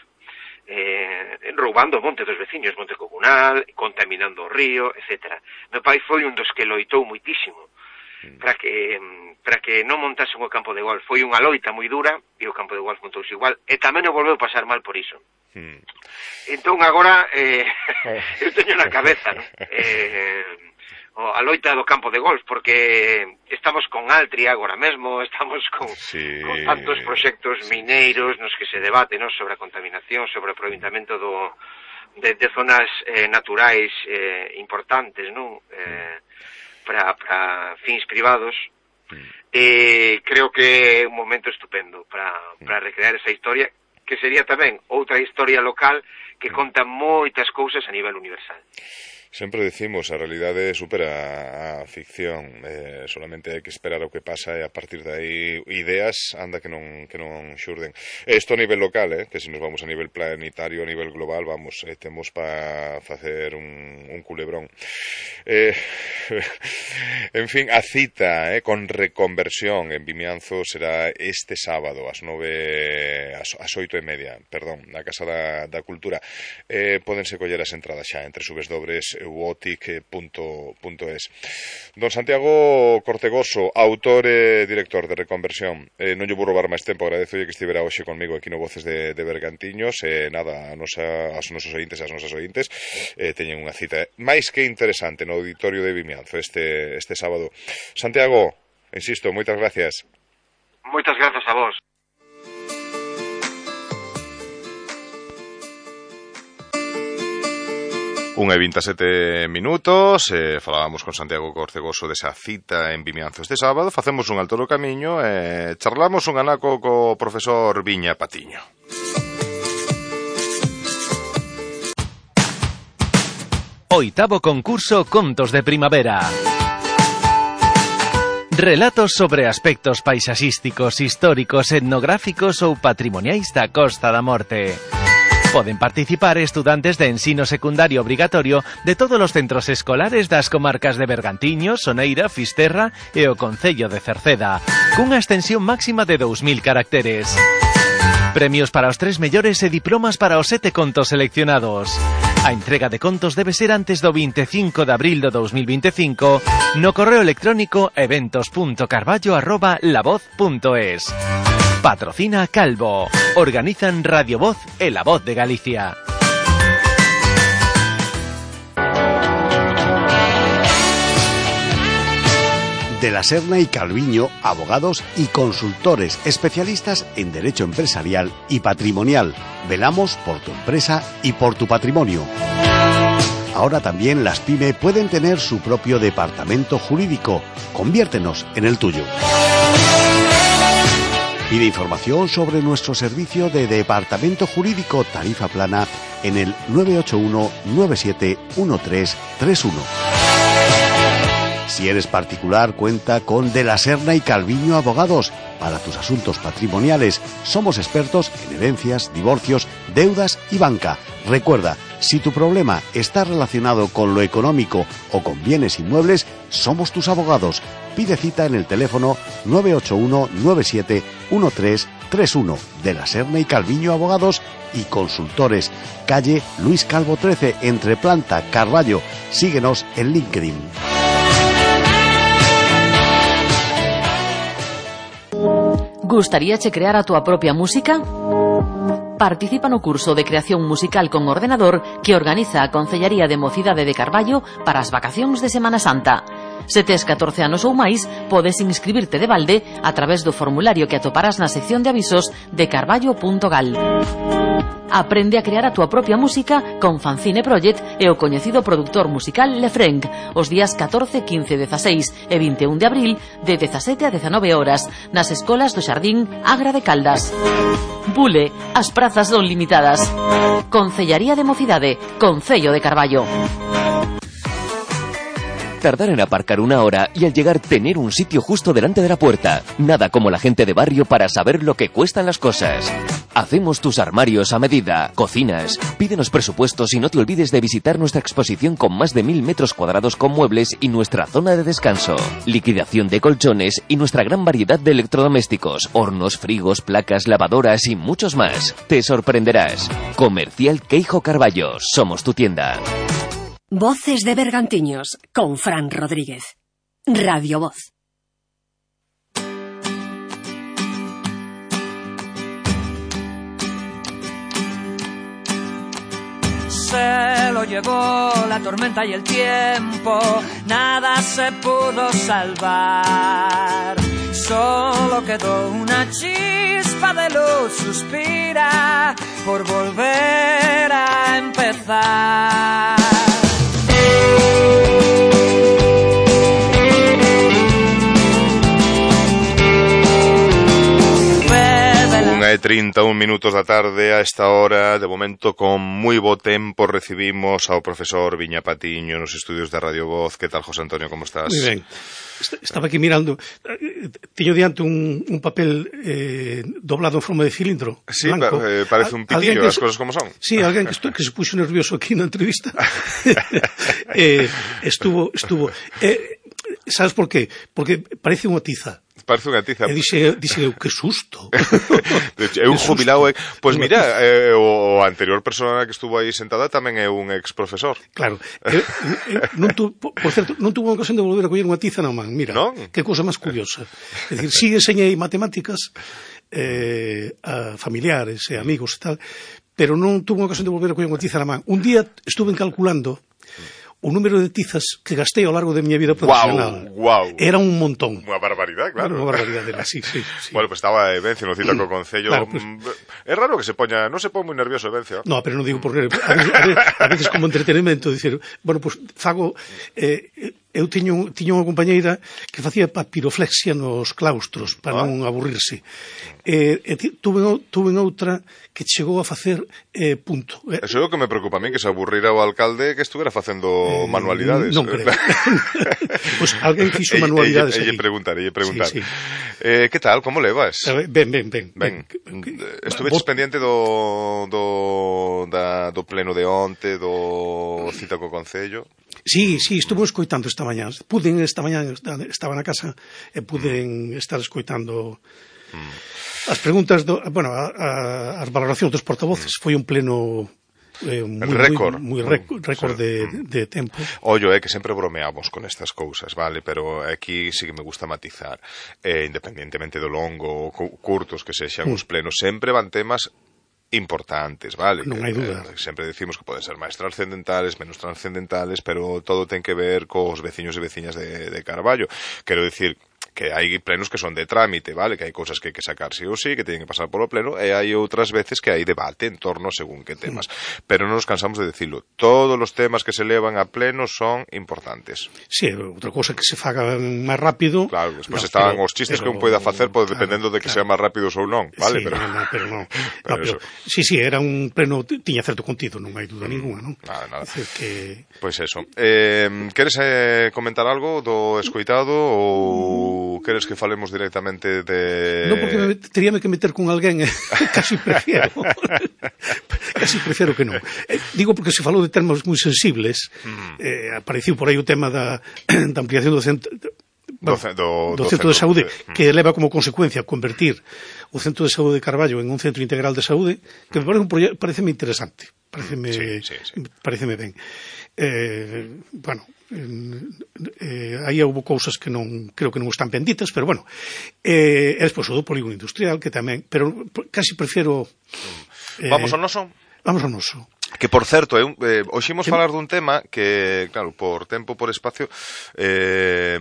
eh, roubando o monte dos veciños, monte comunal, contaminando o río, etcétera. Meu pai foi un dos que loitou moitísimo para que para que non montasen o campo de golf. Foi unha loita moi dura e o campo de golf montouse igual, e tamén o volveu pasar mal por iso. Mm. Entón agora eh, eu teño na cabeza, ¿no? eh, a loita do campo de golf, porque estamos con Altria agora mesmo, estamos con, sí. con tantos proxectos mineiros nos que se debate, ¿no?, sobre a contaminación, sobre o aproveitamento do, de, de zonas eh, naturais eh, importantes, non? Eh, para, para fins privados. Mm. Eh, creo que é un momento estupendo para, para recrear esa historia, que sería tamén outra historia local que conta moitas cousas a nivel universal. Sempre decimos, a realidade supera a ficción, eh, solamente hai que esperar o que pasa e a partir de aí ideas anda que non que non xurden. Isto a nivel local, eh, que se nos vamos a nivel planetario, a nivel global, vamos, eh, temos para facer un, un culebrón. Eh, en fin, a cita eh, con reconversión en Vimianzo será este sábado ás nove, ás, ás oito e media, perdón, na Casa da, da Cultura. Eh, pódense coller as entradas xa entre subesdobres uotic punto es. Don Santiago Cortegoso, autor e director de Reconversión, eh, non lle vou roubar máis tempo, agradezo que estivera hoxe conmigo aquí no Voces de, de Bergantiños, e eh, nada, a nosa, aos nosos ointes e as nosas ointes eh, teñen unha cita máis que interesante no auditorio de Vimianzo este, este sábado. Santiago, insisto, moitas gracias. Moitas grazas a vos. unha e vinte e sete minutos, eh, falábamos con Santiago Cortegoso desa cita en Vimianzo este sábado, facemos un alto no camiño e eh, charlamos un anaco co profesor Viña Patiño. Oitavo concurso Contos de Primavera. Relatos sobre aspectos paisaxísticos, históricos, etnográficos ou patrimoniais da Costa da Morte. Poden participar estudantes de ensino secundario obrigatorio de todos os centros escolares das comarcas de Bergantiños, Soneira, Fisterra e o Concello de Cerceda, cunha extensión máxima de dous mil caracteres. Premios para os tres mellores e diplomas para os sete contos seleccionados. A entrega de contos debe ser antes do vinte e cinco de abril do dous mil vinte e cinco no correo electrónico eventos punto carballo arroba lavoz punto es. Patrocina Calvo. Organizan Radio Voz e La Voz de Galicia. De la Serna y Calviño, abogados y consultores especialistas en derecho empresarial y patrimonial. Velamos por tu empresa y por tu patrimonio. Ahora también las pyme pueden tener su propio departamento jurídico. Conviértenos en el tuyo. Pide información sobre nuestro servicio de departamento jurídico tarifa plana en el nueve ocho uno nueve siete uno tres tres uno. Si eres particular, cuenta con De la Serna y Calviño Abogados. Para tus asuntos patrimoniales, somos expertos en herencias, divorcios, deudas y banca. Recuerda, si tu problema está relacionado con lo económico o con bienes inmuebles, somos tus abogados. Pide cita en el teléfono nueve ocho uno nueve siete uno tres tres uno. De la Serna y Calviño Abogados y Consultores. Calle Luis Calvo trece, entre Planta, Carballo. Síguenos en LinkedIn. Gustaríache crear a túa propia música? Participa no curso de creación musical con ordenador que organiza a Concellaría de Mocidade de Carballo para as vacacións de Semana Santa. Se tes catorce anos ou máis, podes inscribirte de balde a través do formulario que atoparás na sección de avisos de carballo punto gal. Aprende a crear a túa propia música con Fanzine Project e o coñecido produtor musical Lefrenk os días catorce, quince, dezaseis e vinte e un de abril de dezasete a dezanove horas nas escolas do Xardín Agra de Caldas. Bule, as prazas son limitadas. Concellaría de Mocidade, Concello de Carballo. Tardar en aparcar una hora y al llegar tener un sitio justo delante de la puerta. Nada como la gente de barrio para saber lo que cuestan las cosas. Hacemos tus armarios a medida, cocinas. Pídenos presupuestos y no te olvides de visitar nuestra exposición con más de mil metros cuadrados con muebles y nuestra zona de descanso. Liquidación de colchones y nuestra gran variedad de electrodomésticos, hornos, frigos, placas, lavadoras y muchos más. Te sorprenderás. Comercial Queijo Carballo. Somos tu tienda. Voces de Bergantiños, con Fran Rodríguez. Radio Voz. Se lo llevó la tormenta y el tiempo, nada se pudo salvar. Solo quedó una chispa de luz, suspira por volver a empezar. Unha e trinta e un minutos da tarde a esta hora, de momento con moi bo tempo recibimos ao profesor Viña Patiño nos estudios de Radio Voz. Que tal, José Antonio, como estás? Moi ben. Estaba aquí mirando, teño diante un, un papel eh, doblado en forma de cilindro. Sí, blanco. Pa, eh, parece un pitillo, as cosas como son. Sí, alguén que, estu, que se puxo nervioso aquí na entrevista. eh, estuvo, estuvo. Eh, sabes por qué? Porque parece unha tiza. Parece unha tiza. E dixe, dixe eu, que susto. É un jubilado. Eh. Pois pues mira, eh, o anterior persona que estuvo aí sentada tamén é un ex profesor. Claro. Eh, eh, non tu, por certo, non tuvo unha ocasión de volver a coller unha tiza na man. Mira, ¿no? Que cousa máis curiosa. É dicir, sí enseñei matemáticas eh, a familiares e amigos e tal, pero non tuvo unha ocasión de volver a coller unha tiza na man. Un día estuve calculando o número de tizas que gastei ao largo de miña vida profesional. Wow, wow. Era un montón. Unha barbaridade, claro. Unha barbaridade, sí, sí, sí. Bueno, pues estaba Evencio no cita co Concello. Claro, pues, é raro que se poña, non se pon moi nervioso Evencio. No, pero non digo por nervio. A veces, a veces, a veces como entretenimento, dicir, bueno, pues fago... Eh, eu tiño, tiño unha compañeira que facía papiroflexia nos claustros para ah. non aburrirse. E, e tuve, tuve outra que chegou a facer eh, punto. Eso é o que me preocupa a mí, que se aburrira o alcalde que estuvera facendo eh, manualidades. Non creo. Pois pues alguén fixo manualidades. E lle preguntar, e lle preguntar. Sí, sí. Eh, que tal, como levas? Ben, ben, ben. Ben. Estuveches pendiente do, do, da, do pleno de onte, do cita co Concello? Sí, sí, estuve escoitando esta mañá. Puden esta mañá, estaba na casa e puden mm. estar escoitando mm. as preguntas, do, bueno, a, a, as valoracións dos portavoces. Mm. Foi un pleno eh, moi, récord, moi, moi récord, récord sí. de, de tempo. Ollo, é eh, que sempre bromeamos con estas cousas, vale, pero aquí sí que me gusta matizar. Eh, independientemente do longo ou curtos que sexan mm. os plenos, sempre van temas importantes, vale? Non hai dúda. Eh, sempre decimos que poden ser máis trascendentales, menos trascendentales, pero todo ten que ver cos veciños e veciñas de, de Carballo. Quero dicir que hai plenos que son de trámite, vale? Que hai cousas que hai que sacar sí ou sí, que teñen que pasar polo pleno, e hai outras veces que hai debate en torno según que temas. Mm. Pero non nos cansamos de decirlo. Todos os temas que se levan a pleno son importantes. Sí, outra cousa que se faga máis rápido... Claro, despois no, están pero, os chistes pero, que un poida facer, claro, dependendo de que claro. sean máis rápidos ou non, vale? Sí, pero... no, no, pero non. Pero no, pero, sí, sí, era un pleno, tiña certo contido, non hai dúda ninguna, non? Nada, nada. Decir que... Pois pues eso. Eh, queres eh, comentar algo do escoitado ou queres que falemos directamente de... Non, porque me, teríame que meter con alguén, eh, casi prefiero. casi prefiero que non. Eh, digo porque se falou de termos moi sensibles, mm. eh, apareciu por aí o tema da, da ampliación do centro... Bueno, do, do, do centro, centro de saúde, de... que leva como consecuencia convertir o centro de saúde de Carballo en un centro integral de saúde, que me parece un proyecto, pareceme interesante, pareceme, sí, sí, sí. pareceme ben. Eh, bueno, eh, aí houve cousas que non creo que non están penditas, pero bueno, eh, e despois o do polígono industrial, que tamén, pero casi prefiero... Eh, Vamos ao noso? Vamos ao noso. Que, por certo, eu, eh, hoxe imos falar dun tema que, claro, por tempo, por espacio, eh,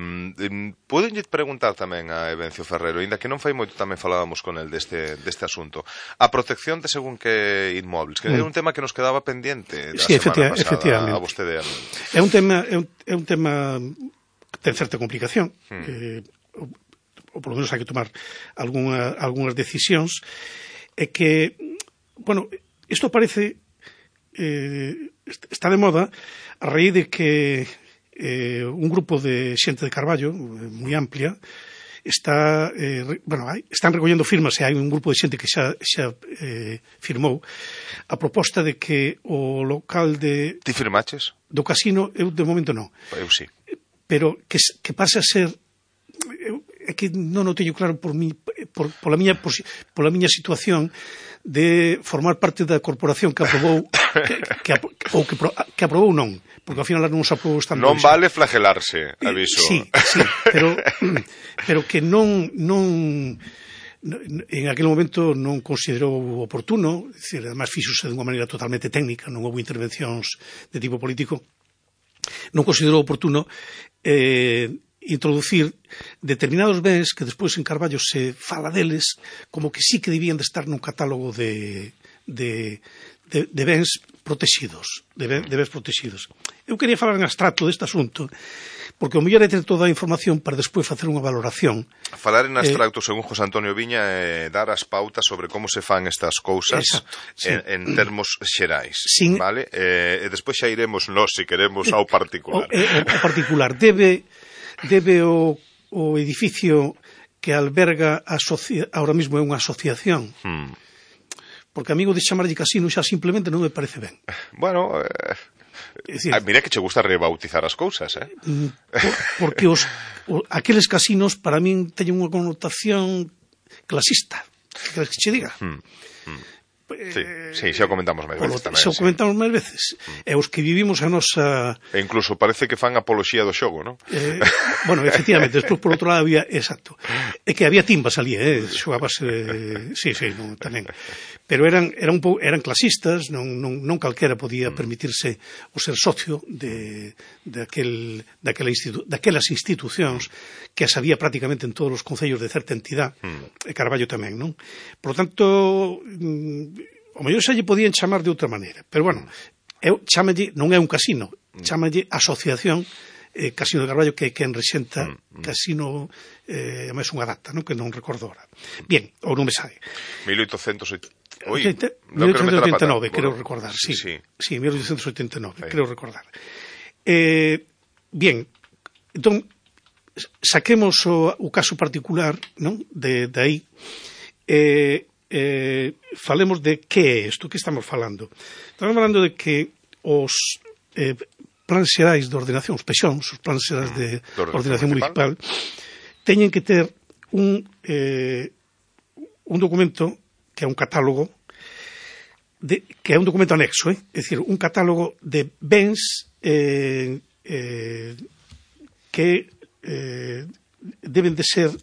podenlle preguntar tamén a Evencio Ferrero, ainda que non fai moito tamén falábamos con el deste, deste asunto. A protección de según que inmóviles, que mm. era un tema que nos quedaba pendiente da sí, semana pasada efectivamente. A vostede a mí. É un tema, é un, é un tema que ten certa complicación, mm. eh, ou, ou polo menos hai que tomar alguna, algunhas decisións, é que, bueno, isto parece... Eh, está de moda a raíz de que eh, un grupo de xente de Carballo moi amplia está eh, bueno, hai, están recollendo firmas e hai un grupo de xente que xa, xa eh, firmou a proposta de que o local de... Ti firmaches? Do casino, eu de momento non. Eu sí. Pero que, que pase a ser... Eu, é que non o teño claro por mi, por, pola, miña, por, pola miña situación de formar parte da corporación que aprobou que, que, ou que, que aprobou non, porque ao final non se aprobou estando non vale flagelarse, aviso. Sí, sí, pero pero que non non en aquel momento non considerou oportuno, decir, además fíxose de unha maneira totalmente técnica, non houve intervencións de tipo político, non considerou oportuno eh introducir determinados bens que despois en Carballo se fala deles como que sí que debían de estar nun catálogo de, de, de, de bens protegidos, de, ben, de bens protegidos. Eu quería falar en abstracto deste asunto, porque o mellor é ter toda a información para despois facer unha valoración. Falar en abstracto, eh, según José Antonio Viña, é dar as pautas sobre como se fan estas cousas exacto, sí. en, en termos xerais, Sin, vale? Eh, e despois xa iremos nós, se queremos, ao particular. O, eh, o particular debe... debe o, o edificio que alberga a asocia, ahora mismo é unha asociación hmm. porque amigo de chamarlle casino xa simplemente non me parece ben. Bueno, eh, decir, mira que che gusta rebautizar as cousas, eh? Por, porque os, o, aqueles casinos para min teñen unha connotación clasista, que che diga. Hmm. Hmm. Sí, sí, xa o comentamos máis veces tamén. Xa o comentamos máis veces. Mm. E os que vivimos a nosa... E incluso parece que fan apoloxía do xogo, non? Eh, bueno, efectivamente, despois por outro lado había... Exacto. É que había timbas ali, eh? Xogabas... Eh, sí, sí, non, tamén. Pero eran, eran, un pouco, eran clasistas, non, non, non calquera podía permitirse o ser socio de, de aquel, daquela institu, daquelas institucións que as había prácticamente en todos os concellos de certa entidade, mm. e Carballo tamén, non? Por lo tanto... o mellor xa lle podían chamar de outra maneira, pero bueno, eu chámalle, non é un casino, chámalle asociación eh, Casino de Carballo, que é quen rexenta mm, mm. casino, eh, máis unha data, non? Que non recordo ahora. Bien, ou non me sabe. mil oitocentos Oi, mil oitocentos oitenta e nove, quero recordar, sí, sí, sí, mil oitocentos oitenta e nove, sí. Quero recordar. Eh, bien, entón, saquemos o, o caso particular, non? De, de aí, eh, Eh, falemos de que é isto, que estamos falando. Estamos falando de que os eh, plans xerais de ordenación, os pexóns, os plans xerais de, de ordenación municipal, teñen que ter un, eh, un documento que é un catálogo, de, que é un documento anexo, eh? É dicir, un catálogo de bens eh, eh, que eh, deben de ser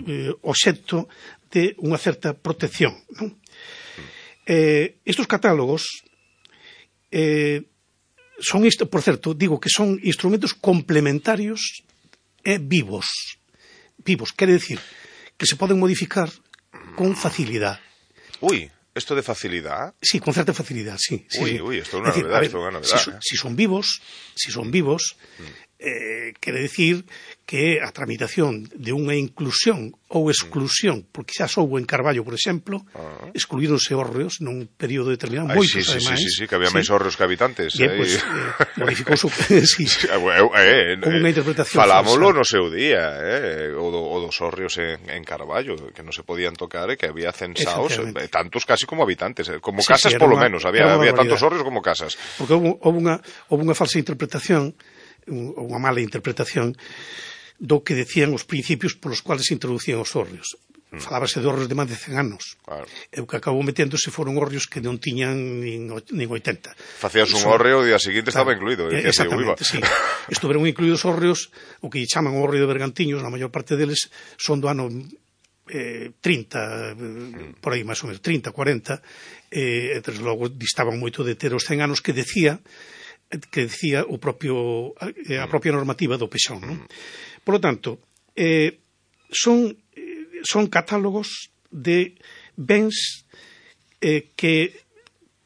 eh, obxecto de unha certa protección, non? Eh, estos catálogos eh, son, isto, por certo, digo que son instrumentos complementarios e vivos. Vivos, quere decir que se poden modificar con facilidad. Ui, isto de facilidad? Sí, con certa facilidad, sí. Ui, sí. ui, isto é unha novedade, isto é unha novedade. Si, son, si son vivos, si son vivos, eh, quere decir que a tramitación de unha inclusión ou exclusión, porque xa soubo en Carballo, por exemplo, ah. excluíronse hórreos nun período determinado, Ai, moitos, sí, sí, ademais. Sí, sí, sí, que había sí. máis hórreos que habitantes. Bien, pues, eh, modificouse, sí, sí. Eh, como unha interpretación falámoslo no seu día, eh, o, do, o dos hórreos en, en Carballo, que non se podían tocar e que había censaos, eh, tantos casi como habitantes, eh, como sí, casas sí, polo menos, había, había tantos hórreos como casas. Porque houve, houve, unha, houve unha falsa interpretación, ou unha mala interpretación, do que decían os principios polos cuales se introducían os hórreos. Mm. Falábase de hórreos de máis de cen anos. Claro. E o que acabou meténdose foron hórreos que non tiñan nin, nin oitenta. Facías un hórreo e o día seguinte claro, estaba incluído. Eh, exactamente, sí. Estuveron incluídos hórreos, o que chaman hórreo de Bergantiños, na maior parte deles son do ano eh, trinta, eh, por aí máis ou menos, trinta, cuarenta, eh, e desde logo distaban moito de ter os cen anos que decía que decía o propio, eh, a propia normativa do Pexón, non? Por lo tanto, eh, son, son catálogos de bens eh, que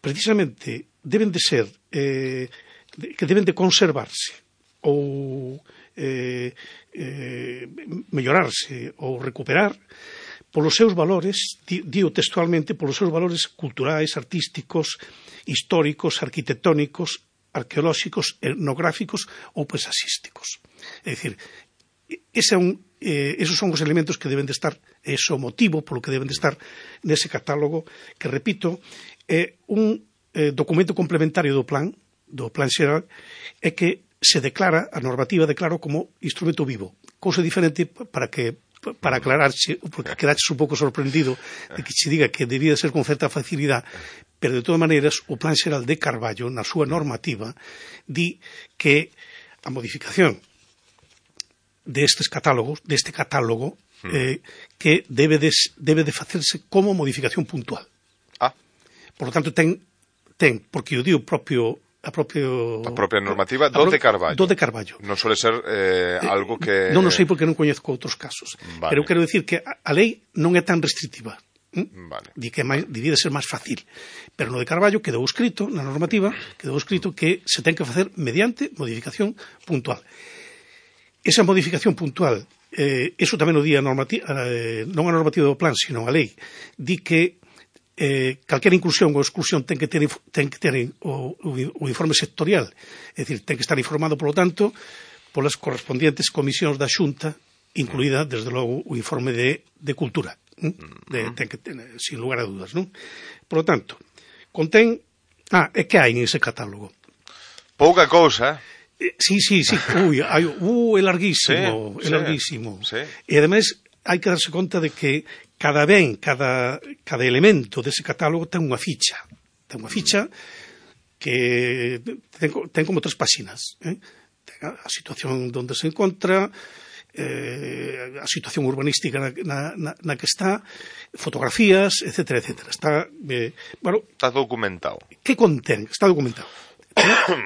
precisamente deben de ser, eh, que deben de conservarse ou eh, eh, mellorarse ou recuperar polos seus valores, digo textualmente, polos seus valores culturais, artísticos, históricos, arquitectónicos, arqueolóxicos, etnográficos ou paisasísticos. É dicir, ese é un, eh, esos son os elementos que deben de estar, ese é o motivo polo que deben de estar nese catálogo, que, repito, é un eh, documento complementario do plan, do plan xeral, é que se declara, a normativa declara como instrumento vivo, cousa diferente para que para aclararse, porque quedaches un pouco sorprendido de que se diga que debía ser con certa facilidade, pero de todas maneiras o plan xeral de Carballo, na súa normativa, di que a modificación destes catálogos, deste catálogo, eh, que debe de, debe de facerse como modificación puntual. Ah. Por lo tanto, ten, ten porque o di o propio a propio a propia normativa do de Carballo. Do de Carballo. Non suele ser eh, algo que Non o sei porque non coñezco outros casos. Vale. Pero quero dicir que a, a lei non é tan restrictiva. ¿Mm? Vale. Di que máis, debía de ser máis fácil. Pero no de Carballo quedou escrito, na normativa, quedou escrito que se ten que facer mediante modificación puntual. Esa modificación puntual, eh, eso tamén o di a normativa, eh, non a normativa do plan, sino a lei, di que eh, calquera inclusión ou exclusión ten que ter, ten que ter o, o informe sectorial, é dicir, ten que estar informado, polo tanto, polas correspondientes comisións da Xunta, incluída, desde logo, o informe de, de cultura, de, ten que ten, sin lugar a dudas, non? Por lo tanto, contén, ah, é que hai nese catálogo? Pouca cousa, eh? Sí, sí, sí, ui, hai, uh, é larguísimo, sí, é larguísimo. Sí. E ademais hai que darse conta de que cada ben, cada, cada elemento dese catálogo ten unha ficha. Ten unha ficha que ten, ten como tres páxinas. Eh? Ten a situación onde se encontra, eh, a situación urbanística na, na, na que está, fotografías, etcétera, etcétera. Está, eh, bueno, está documentado. Que contén? Está documentado.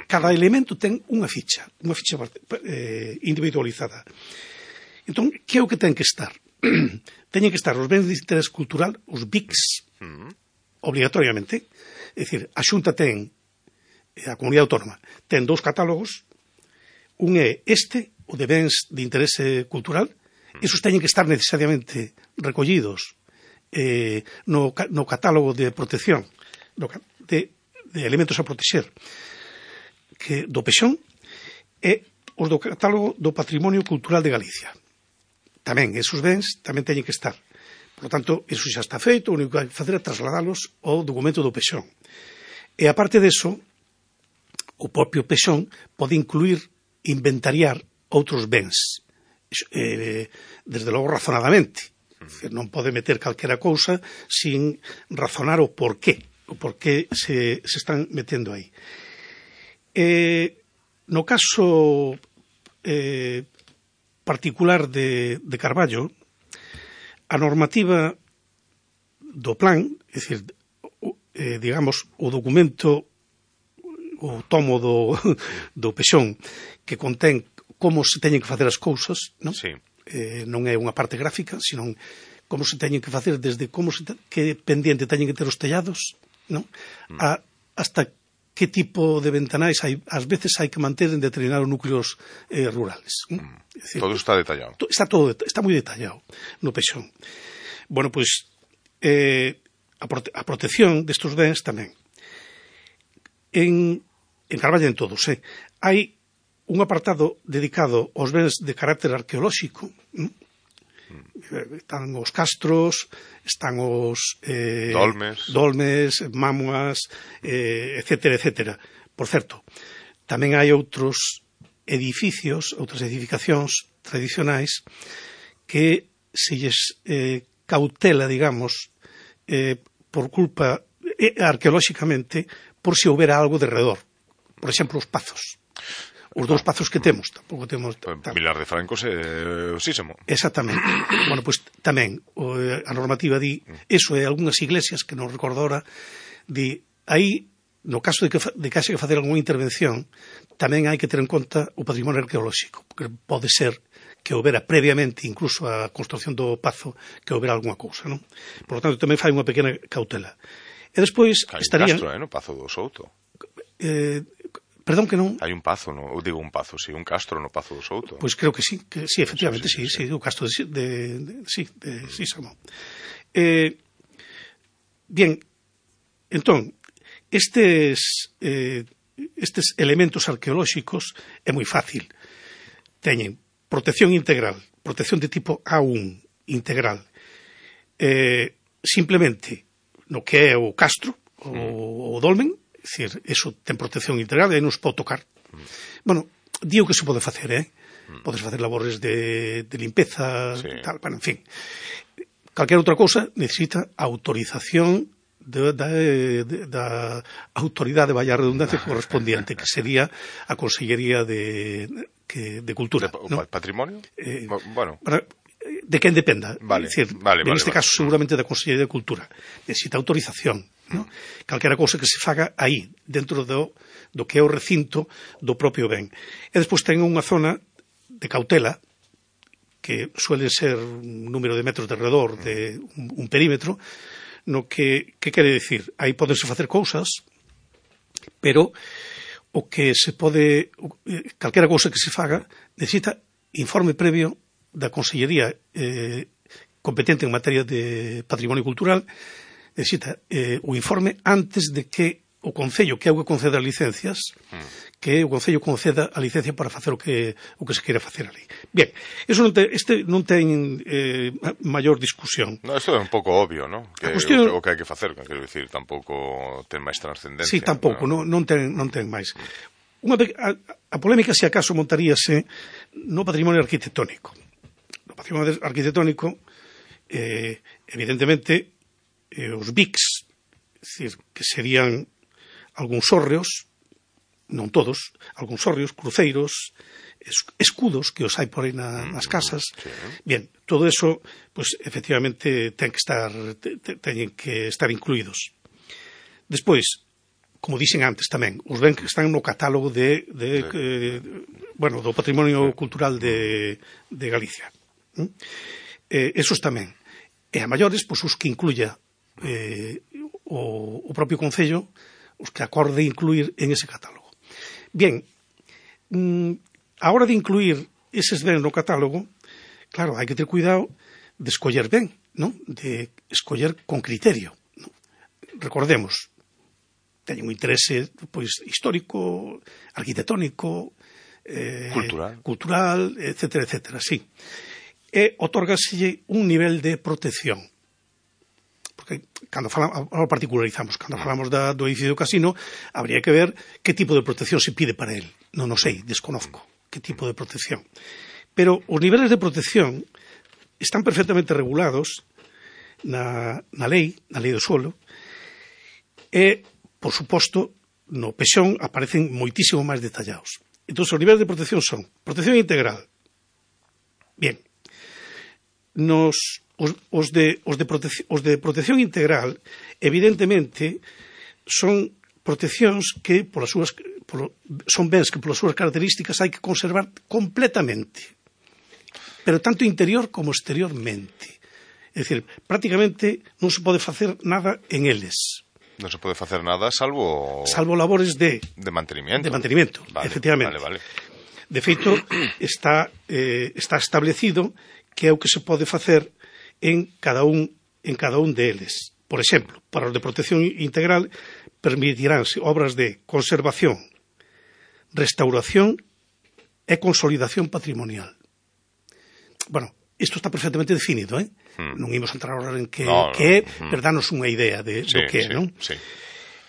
Cada elemento ten unha ficha, unha ficha eh, individualizada. Entón, que é o que ten que estar? Teñen que estar os bens de interés cultural, os B I Cs, mm. obligatoriamente. É dicir, a Xunta ten, a Comunidade Autónoma, ten dous catálogos, un é este, o de bens de interese cultural, mm. esos teñen que estar necesariamente recollidos eh, no, no catálogo de protección, no, de, de elementos a protexer, que do Pexón, e os do catálogo do Patrimonio Cultural de Galicia. Tamén, esos bens tamén teñen que estar. Por lo tanto, eso xa está feito, o único que hai que facer é trasladalos ao documento do Pexón. E aparte deso, o propio Pexón pode incluir, inventariar outros bens, eh, desde logo razonadamente. Mm. Non pode meter calquera cousa sin razonar o porqué, o porqué se, se están metendo aí. Eh, no caso eh, particular de, de Carballo, a normativa do plan, é dicir, eh, digamos, o documento, o tomo do, do Pexón, que contén como se teñen que facer as cousas, non? Sí. Eh, non é unha parte gráfica, sino como se teñen que facer desde como se te, que pendiente teñen que ter os tellados, non? Mm. A, hasta que tipo de ventanais hai, ás veces hai que manter en determinados núcleos eh, rurales. Mm. Decir, todo está detallado. To, está todo, está moi detallado no Pexón. Bueno, pois, eh, a, prote, a protección destes bens tamén. En, en Carballo en todos, eh, hai un apartado dedicado aos bens de carácter arqueolóxico, ¿no? Mm. Están os castros, están os eh, dolmes, dolmes mámoas, eh, etcétera, etcétera. Por certo, tamén hai outros edificios, outras edificacións tradicionais que se lles eh, cautela, digamos, eh, por culpa, eh, arqueolóxicamente, por se houbera algo de redor. Por exemplo, os pazos. os dous pazos que temos, tampouco temos... Vilar de Francos é osísimo. Exactamente. Bueno, pois pues, tamén a normativa di, eso é algunhas iglesias que non recordo ahora, di, aí, no caso de que, de que haxe que facer algunha intervención, tamén hai que ter en conta o patrimonio arqueolóxico, porque pode ser que houbera previamente, incluso a construcción do pazo, que houbera algunha cousa, non? Por lo tanto, tamén fai unha pequena cautela. E despois hai estaría... Hai un castro, eh, no Pazo do Souto. Eh, perdón que non... Hai un pazo, no, ou digo un pazo, si, sí, un castro no Pazo do Souto. Pois pues creo que sí, que sí, efectivamente, sí, sí, sí, sí, sí, o castro de, de, de sí, de Sísamo. Eh, bien, entón, estes eh, estes elementos arqueolóxicos é moi fácil. Teñen protección integral, protección de tipo A uno integral. Eh, simplemente no que é o castro, o, o dolmen, é dicir, eso ten protección integral e non se pode tocar. Bueno, digo que se pode facer, eh? Podes facer labores de, de limpeza, sí. Tal, bueno, en fin. Calquera outra cousa necesita autorización de, de, de, da autoridade, vaya redundancia, correspondiente, que sería a Consellería de, que, de Cultura. O ¿no? Patrimonio? Eh, bueno. Para, de quen dependa. Vale, é dicir, vale, en vale, este vale. caso seguramente da Consellería de Cultura. Necesita autorización, ¿no? Calquera cousa que se faga aí, dentro do, do que é o recinto do propio ben. E despois ten unha zona de cautela, que suele ser un número de metros de redor de un, un perímetro, no que, que quere dicir? Aí podense facer cousas, pero o que se pode, calquera cousa que se faga, necesita informe previo da Consellería eh, competente en materia de patrimonio cultural, necesita eh, o informe antes de que o Concello, que é o que concede as licencias, que o Concello conceda a licencia para facer o que o que se queira facer ali. Bien, eso non te, este non ten eh, maior discusión. No, isto é un pouco obvio, ¿no? Que cuestión... o, que, o que hai que facer, quero dicir, tampouco ten máis trascendencia. Sí, tampouco, ¿no? non, non, ten, non ten máis. Unha, a, a polémica, se acaso, montaríase no patrimonio arquitectónico. No patrimonio arquitectónico, eh, evidentemente, eh, os B I Cs, é dicir, que serían algúns hórreos, non todos, algúns hórreos, cruceiros, escudos que os hai por aí na, nas casas. Sí. Bien, todo eso, pues, efectivamente, ten que estar, te, teñen que estar incluídos. Despois, como dixen antes tamén, os ben que están no catálogo de, de, sí. eh, bueno, do patrimonio cultural de, de Galicia. ¿Mm? Eh, esos tamén. E a maiores, pois, os que incluya eh, o, o propio Concello, os que acorde incluir en ese catálogo. Bien, a hora de incluir eses bens no catálogo, claro, hai que ter cuidado de escoller ben, ¿no? De escoller con criterio, ¿no? Recordemos, teñen un interese, pois, histórico, arquitectónico, eh, cultural, cultural, etcétera, etcétera, sí. E otórgaselle un nivel de protección. Porque cando falamos, ahora particularizamos, cando falamos da, do edificio do casino, habría que ver que tipo de protección se pide para él. Non o sei, desconozco que tipo de protección. Pero os niveles de protección están perfectamente regulados na, na lei, na lei do suelo, e, por suposto, no pexón aparecen moitísimo máis detallados. Entón, os niveles de protección son protección integral. Bien. Nos... Os, os, de, os, de protección, os de protección integral, evidentemente, son proteccións que, polas súas, por, son bens que, polas súas características, hai que conservar completamente. Pero tanto interior como exteriormente. É dicir, prácticamente non se pode facer nada en eles. Non se pode facer nada salvo... Salvo labores de... De mantenimiento. De mantenimiento, vale, efectivamente. Vale, vale. De feito, está, eh, está establecido que é o que se pode facer en cada un en cada un deles. Por exemplo, para os de protección integral permitiránse obras de conservación, restauración e consolidación patrimonial. Bueno, isto está perfectamente definido, eh? Hmm. Non imos entrar agora en que, no, que é, no. pero danos unha idea de, sí, do que é, sí, non? Sí.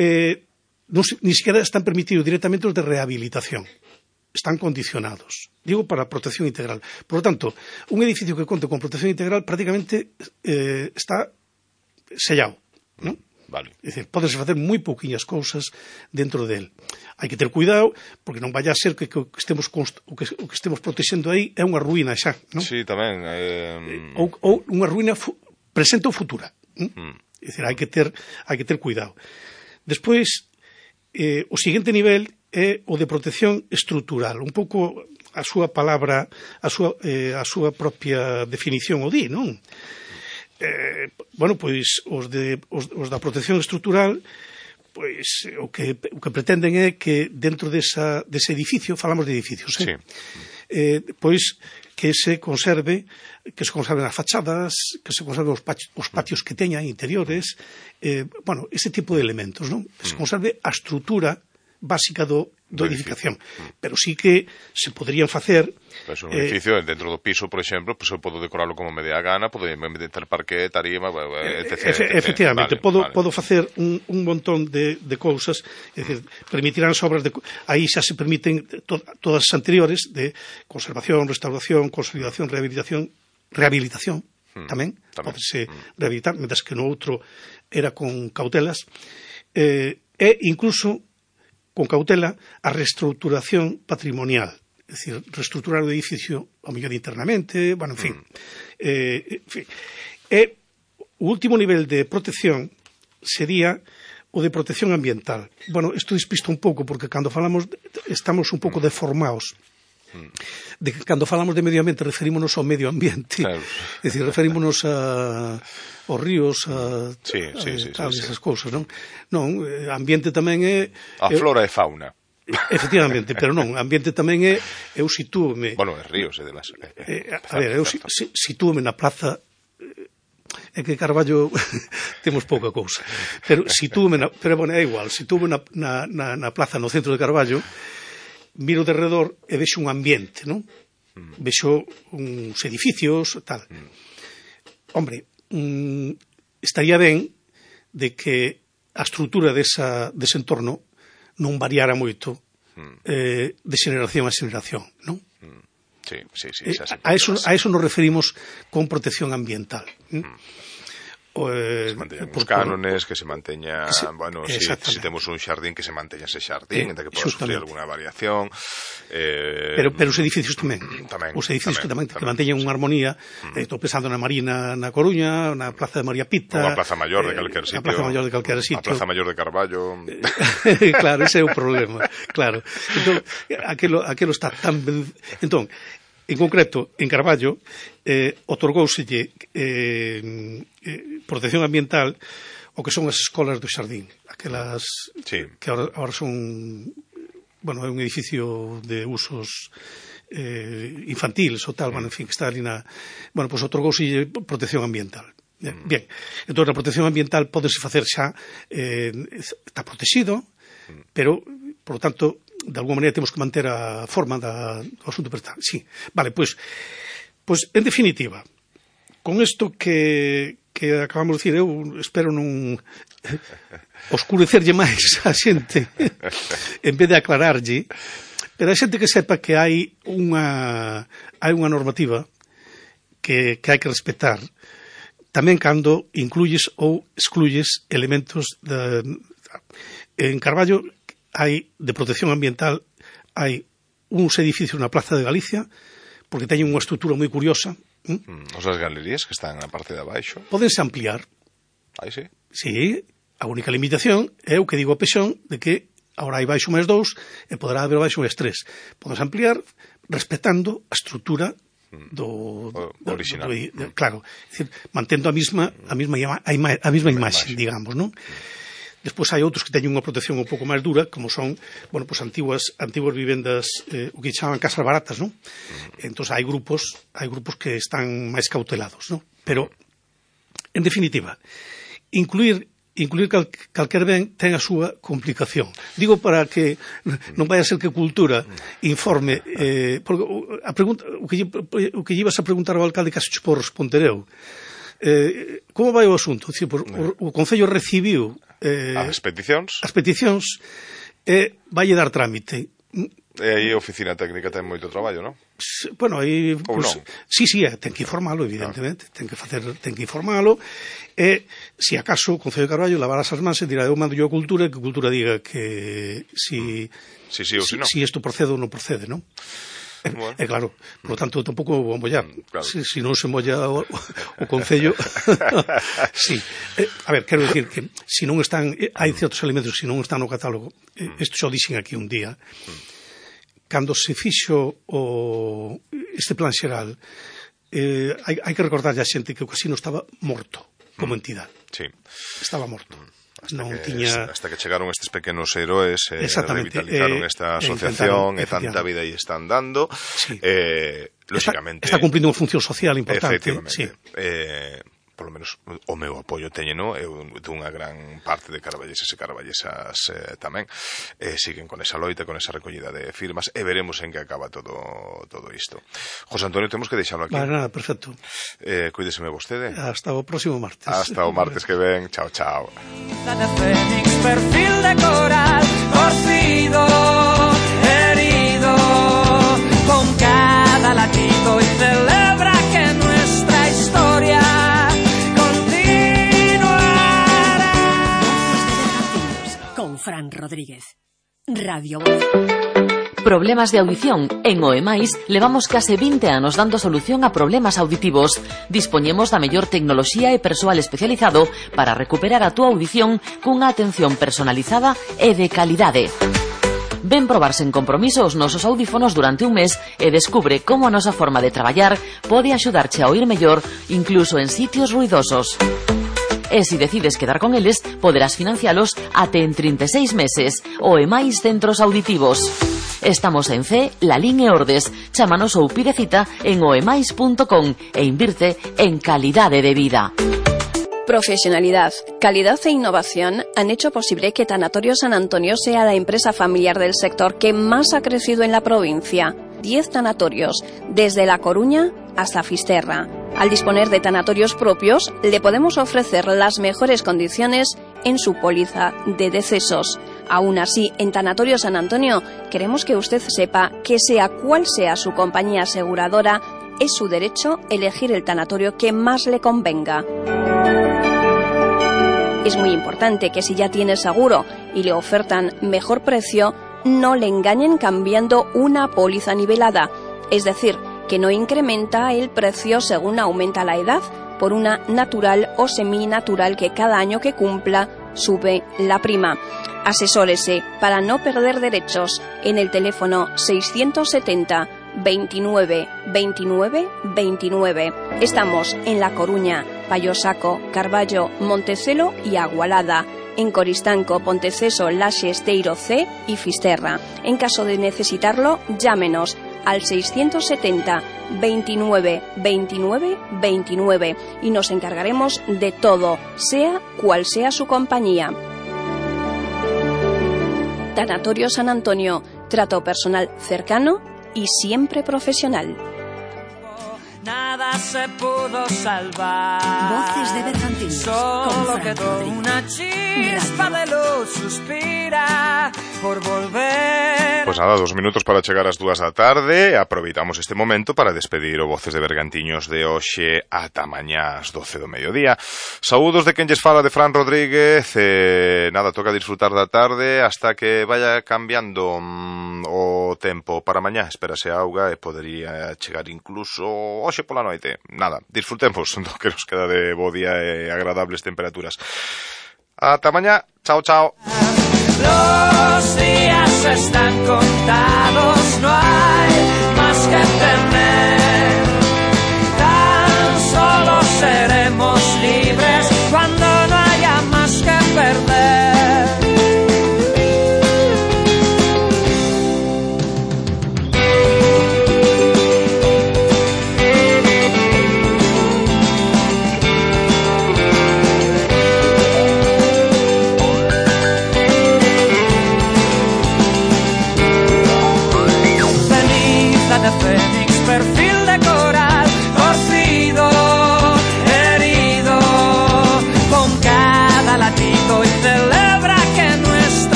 Eh, non, ni siquiera están permitidos directamente os de rehabilitación. Están condicionados. Digo, para protección integral. Por lo tanto, un edificio que conte con protección integral prácticamente eh, está sellado, ¿no? Vale. É dicir, podes facer moi pouquiñas cousas dentro del. Hai que ter cuidado, porque non vai a ser que, que, o, que estemos const, o, que, o que estemos protexendo aí é unha ruína xa, non? Sí, tamén. Eh... Ou, ou unha ruína fu, presente ou futura. ¿Mm? Mm. É dicir, hai que ter, hai que ter cuidado. Despois, eh, o seguinte nivel é o de protección estrutural. Un pouco a súa palabra, a súa, eh, a súa propia definición o di, non? Eh, bueno, pois os, de, os, os da protección estrutural, pois o que, o que pretenden é que dentro desa, dese edificio, falamos de edificios, eh? Sí. Eh, pois que se conserve, que se conserven as fachadas, que se conserven os, patios, os patios que teñan interiores, eh, bueno, ese tipo de elementos, non? Que se conserve a estrutura básica do, do edificación. Pero sí que se poderían facer... Pues un edificio, eh, dentro do piso, por exemplo, pues eu podo decorarlo como me dé a gana, podo meter parquet, tarima, etcétera. Efe, efectivamente, vale, podo, vale. podo facer un, un montón de, de cousas, é dicir, permitirán as obras de... Aí xa se permiten to, todas as anteriores de conservación, restauración, consolidación, rehabilitación, rehabilitación, hmm, tamén, tamén. Podese hmm. rehabilitar, mentre que no outro era con cautelas, eh, e incluso con cautela a reestructuración patrimonial, é dicir, reestructurar o edificio ao mellor internamente, bueno, en fin. Mm. Eh, en fin. E o último nivel de protección sería o de protección ambiental. Bueno, isto despisto un pouco, porque cando falamos, estamos un pouco mm. deformados. De que cando falamos de medio ambiente referímonos ao medio ambiente, claro. É dicir, referímonos a aos ríos, a, sí, sí, sí, a, a sí, esas sí. cousas, non? Non, ambiente tamén é... A flora e fauna. Efectivamente, pero non, ambiente tamén é, eu sitúome... Bueno, é ríos e demais. Eh, a ver, eu sitúome na plaza, é que Carballo temos pouca cousa, pero sitúome na, pero bueno, é igual, sitúome na, na, na, na plaza no centro de Carballo, miro de redor e vexo un ambiente, non? Mm. Vexo uns edificios, tal. Mm. Hombre, mm, estaría ben de que a estrutura desa, dese entorno non variara moito mm. eh, de xeneración a xeneración, non? Mm. Sí, sí, sí. Eh, a, eso, a eso nos referimos con protección ambiental. Mm. Que se manteñan os cánones, que se manteña, que se, bueno, si, si temos un xardín, que se manteña ese xardín, eh, entre que poda sufrir alguna variación. Eh, pero, pero os edificios tamén. tamén os edificios tamén, que, tamén, que manteñan unha armonía. Mm. Estou pensando na Marina na Coruña, na Plaza de María Pita. Ou a Plaza Mayor de calquer sitio. A Plaza Mayor de calquer sitio. A Plaza Mayor de Carballo. Claro, ese é o problema. Claro. Entón, aquelo, aquelo está tan... Entón, en concreto, en Carballo, eh, otorgouselle eh, eh, protección ambiental o que son as escolas do xardín, aquelas sí. que ahora, ahora son, bueno, é un edificio de usos eh, infantiles ou tal, mm. bueno, en fin, que está ali na... Bueno, pois pues, otorgouselle protección ambiental. Mm. Bien, entón a protección ambiental pódese facer xa, eh, está protegido, mm. pero, por lo tanto, de alguma maneira temos que manter a forma da, do asunto prestal. Sí, vale, pois, pois en definitiva, con isto que, que acabamos de dicir, eu espero non oscurecerlle máis a xente en vez de aclararlle, pero a xente que sepa que hai unha hai unha normativa que, que hai que respetar tamén cando incluyes ou excluyes elementos de, en Carballo hai de protección ambiental, hai uns edificios na Plaza de Galicia, porque teñen unha estrutura moi curiosa. Mm, os das galerías que están na parte de abaixo. Pódense ampliar. Aí sí. Sí, a única limitación é o que digo a Pexón, de que agora hai baixo máis dous e poderá haber baixo máis tres. Pódense ampliar respetando a estrutura do, do, do original. Do, do, do, claro, é dicir, mantendo a mesma a mesma a, ima, a mesma imaxe, digamos, non? Despois hai outros que teñen unha protección un pouco máis dura, como son, bueno, pues antiguas antiguas vivendas, eh, o que chaman casas baratas, non? Mm. Entón hai grupos, hai grupos que están máis cautelados, non? Pero en definitiva, incluir incluir cal, calquer ben ten a súa complicación. Digo para que non vai a ser que Cultura informe, eh, porque a pregunta, o que o que ibas a preguntar ao alcalde case cho por responder eu. Eh, como vai o asunto? Dicir, por, o, o Concello recibiu eh, as peticións as peticións e vai dar trámite. E aí a oficina técnica ten moito traballo, non? Bueno, aí... Ou pues, non? Sí, sí, ten que informalo, evidentemente, ah. ten que facer, ten que informalo, e, se acaso, o Concello de Carballo lavarás as mans e dirá, eu mando yo a Cultura, e que Cultura diga que si... Si, sí, ou si, si, non. si isto procede ou non procede, non? Bueno. E claro, por lo tanto, tampouco vou mollar. Claro. Si, si non se molla o, o Concello... sí. Eh, a ver, quero decir que si non están... Eh, hai certos elementos que si non están no catálogo, eh, isto xo dixen aquí un día, cando se fixo o, este plan xeral, eh, hai, hai que recordarlle a xente que o casino estaba morto como entidade. Sí. Estaba morto. Hasta non que, tiña... hasta que chegaron estes pequenos héroes e eh, revitalizaron eh, esta asociación e tanta vida aí están dando. Sí. Eh, lógicamente... Está, está cumplindo unha función social importante. Efectivamente. Sí. Eh, polo menos o meu apoio teñeno e dunha gran parte de carballeses e carballesas eh, tamén eh, siguen con esa loita, con esa recollida de firmas e veremos en que acaba todo todo isto. José Antonio, temos que deixalo aquí. Vale, nada, perfecto. Eh, cuídeseme vostede. Hasta o próximo martes. Hasta o martes que ven. Chao, chao. De Fénix, perfil de coral, torcido, herido, con cada latido y celebra que nuestra historia con Fran Rodríguez. Radio Voz. Problemas de audición. En Oemais levamos case vinte anos dando solución a problemas auditivos. Dispoñemos da mellor tecnoloxía e persoal especializado para recuperar a túa audición cunha atención personalizada e de calidade. Ven probar sen compromiso os nosos audífonos durante un mes e descubre como a nosa forma de traballar pode axudarche a oír mellor incluso en sitios ruidosos. E se decides quedar con eles, poderás financialos até en trinta e seis meses. Oemais Centros Auditivos. Estamos en C, Lalín e Ordes. Chámanos ou pide cita en oemais punto com e invirte en calidade de vida. Profesionalidad, calidad e innovación han hecho posible que Tanatorio San Antonio sea la empresa familiar del sector que más ha crecido en la provincia. Diez tanatorios, desde La Coruña hasta Fisterra. Al disponer de tanatorios propios, le podemos ofrecer las mejores condiciones en su póliza de decesos. Aún así, en Tanatorio San Antonio, queremos que usted sepa que sea cual sea su compañía aseguradora, es su derecho elegir el tanatorio que más le convenga. Es muy importante que si ya tiene seguro y le ofertan mejor precio, no le engañen cambiando una póliza nivelada, es decir, que no incrementa el precio según aumenta la edad por una natural o seminatural que cada año que cumpla sube la prima. Asesórese para no perder derechos en el teléfono seiscientos setenta, veintinueve, veintinueve, veintinueve. Estamos en La Coruña, Payosaco, Carballo, Montecelo y Agualada. En Coristanco, Ponteceso, Laxe, Esteiro C y Fisterra. En caso de necesitarlo, llámenos al seiscientos setenta, veintinueve, veintinueve, veintinueve y nos encargaremos de todo, sea cual sea su compañía. Tanatorio San Antonio, trato personal cercano y siempre profesional. Nada se pudo salvar. Voces de Bergantiños. Solo quedó una chispa de luz, suspira por volver. Pues nada, dos minutos para chegar ás dúas da tarde. Aproveitamos este momento para despedir o Voces de Bergantiños de hoxe ata mañá ás doce do mediodía. Saúdos de quen lles fala, de Fran Rodríguez. eh, Nada, toca disfrutar da tarde hasta que vaya cambiando mm, o tempo para mañá. Espérase auga e podería chegar incluso hoxe pola noite. Nada, disfrutemos do que nos queda de bo día e agradables temperaturas. Ata mañá, chao, chao. Los días están contados, no hay más que temer.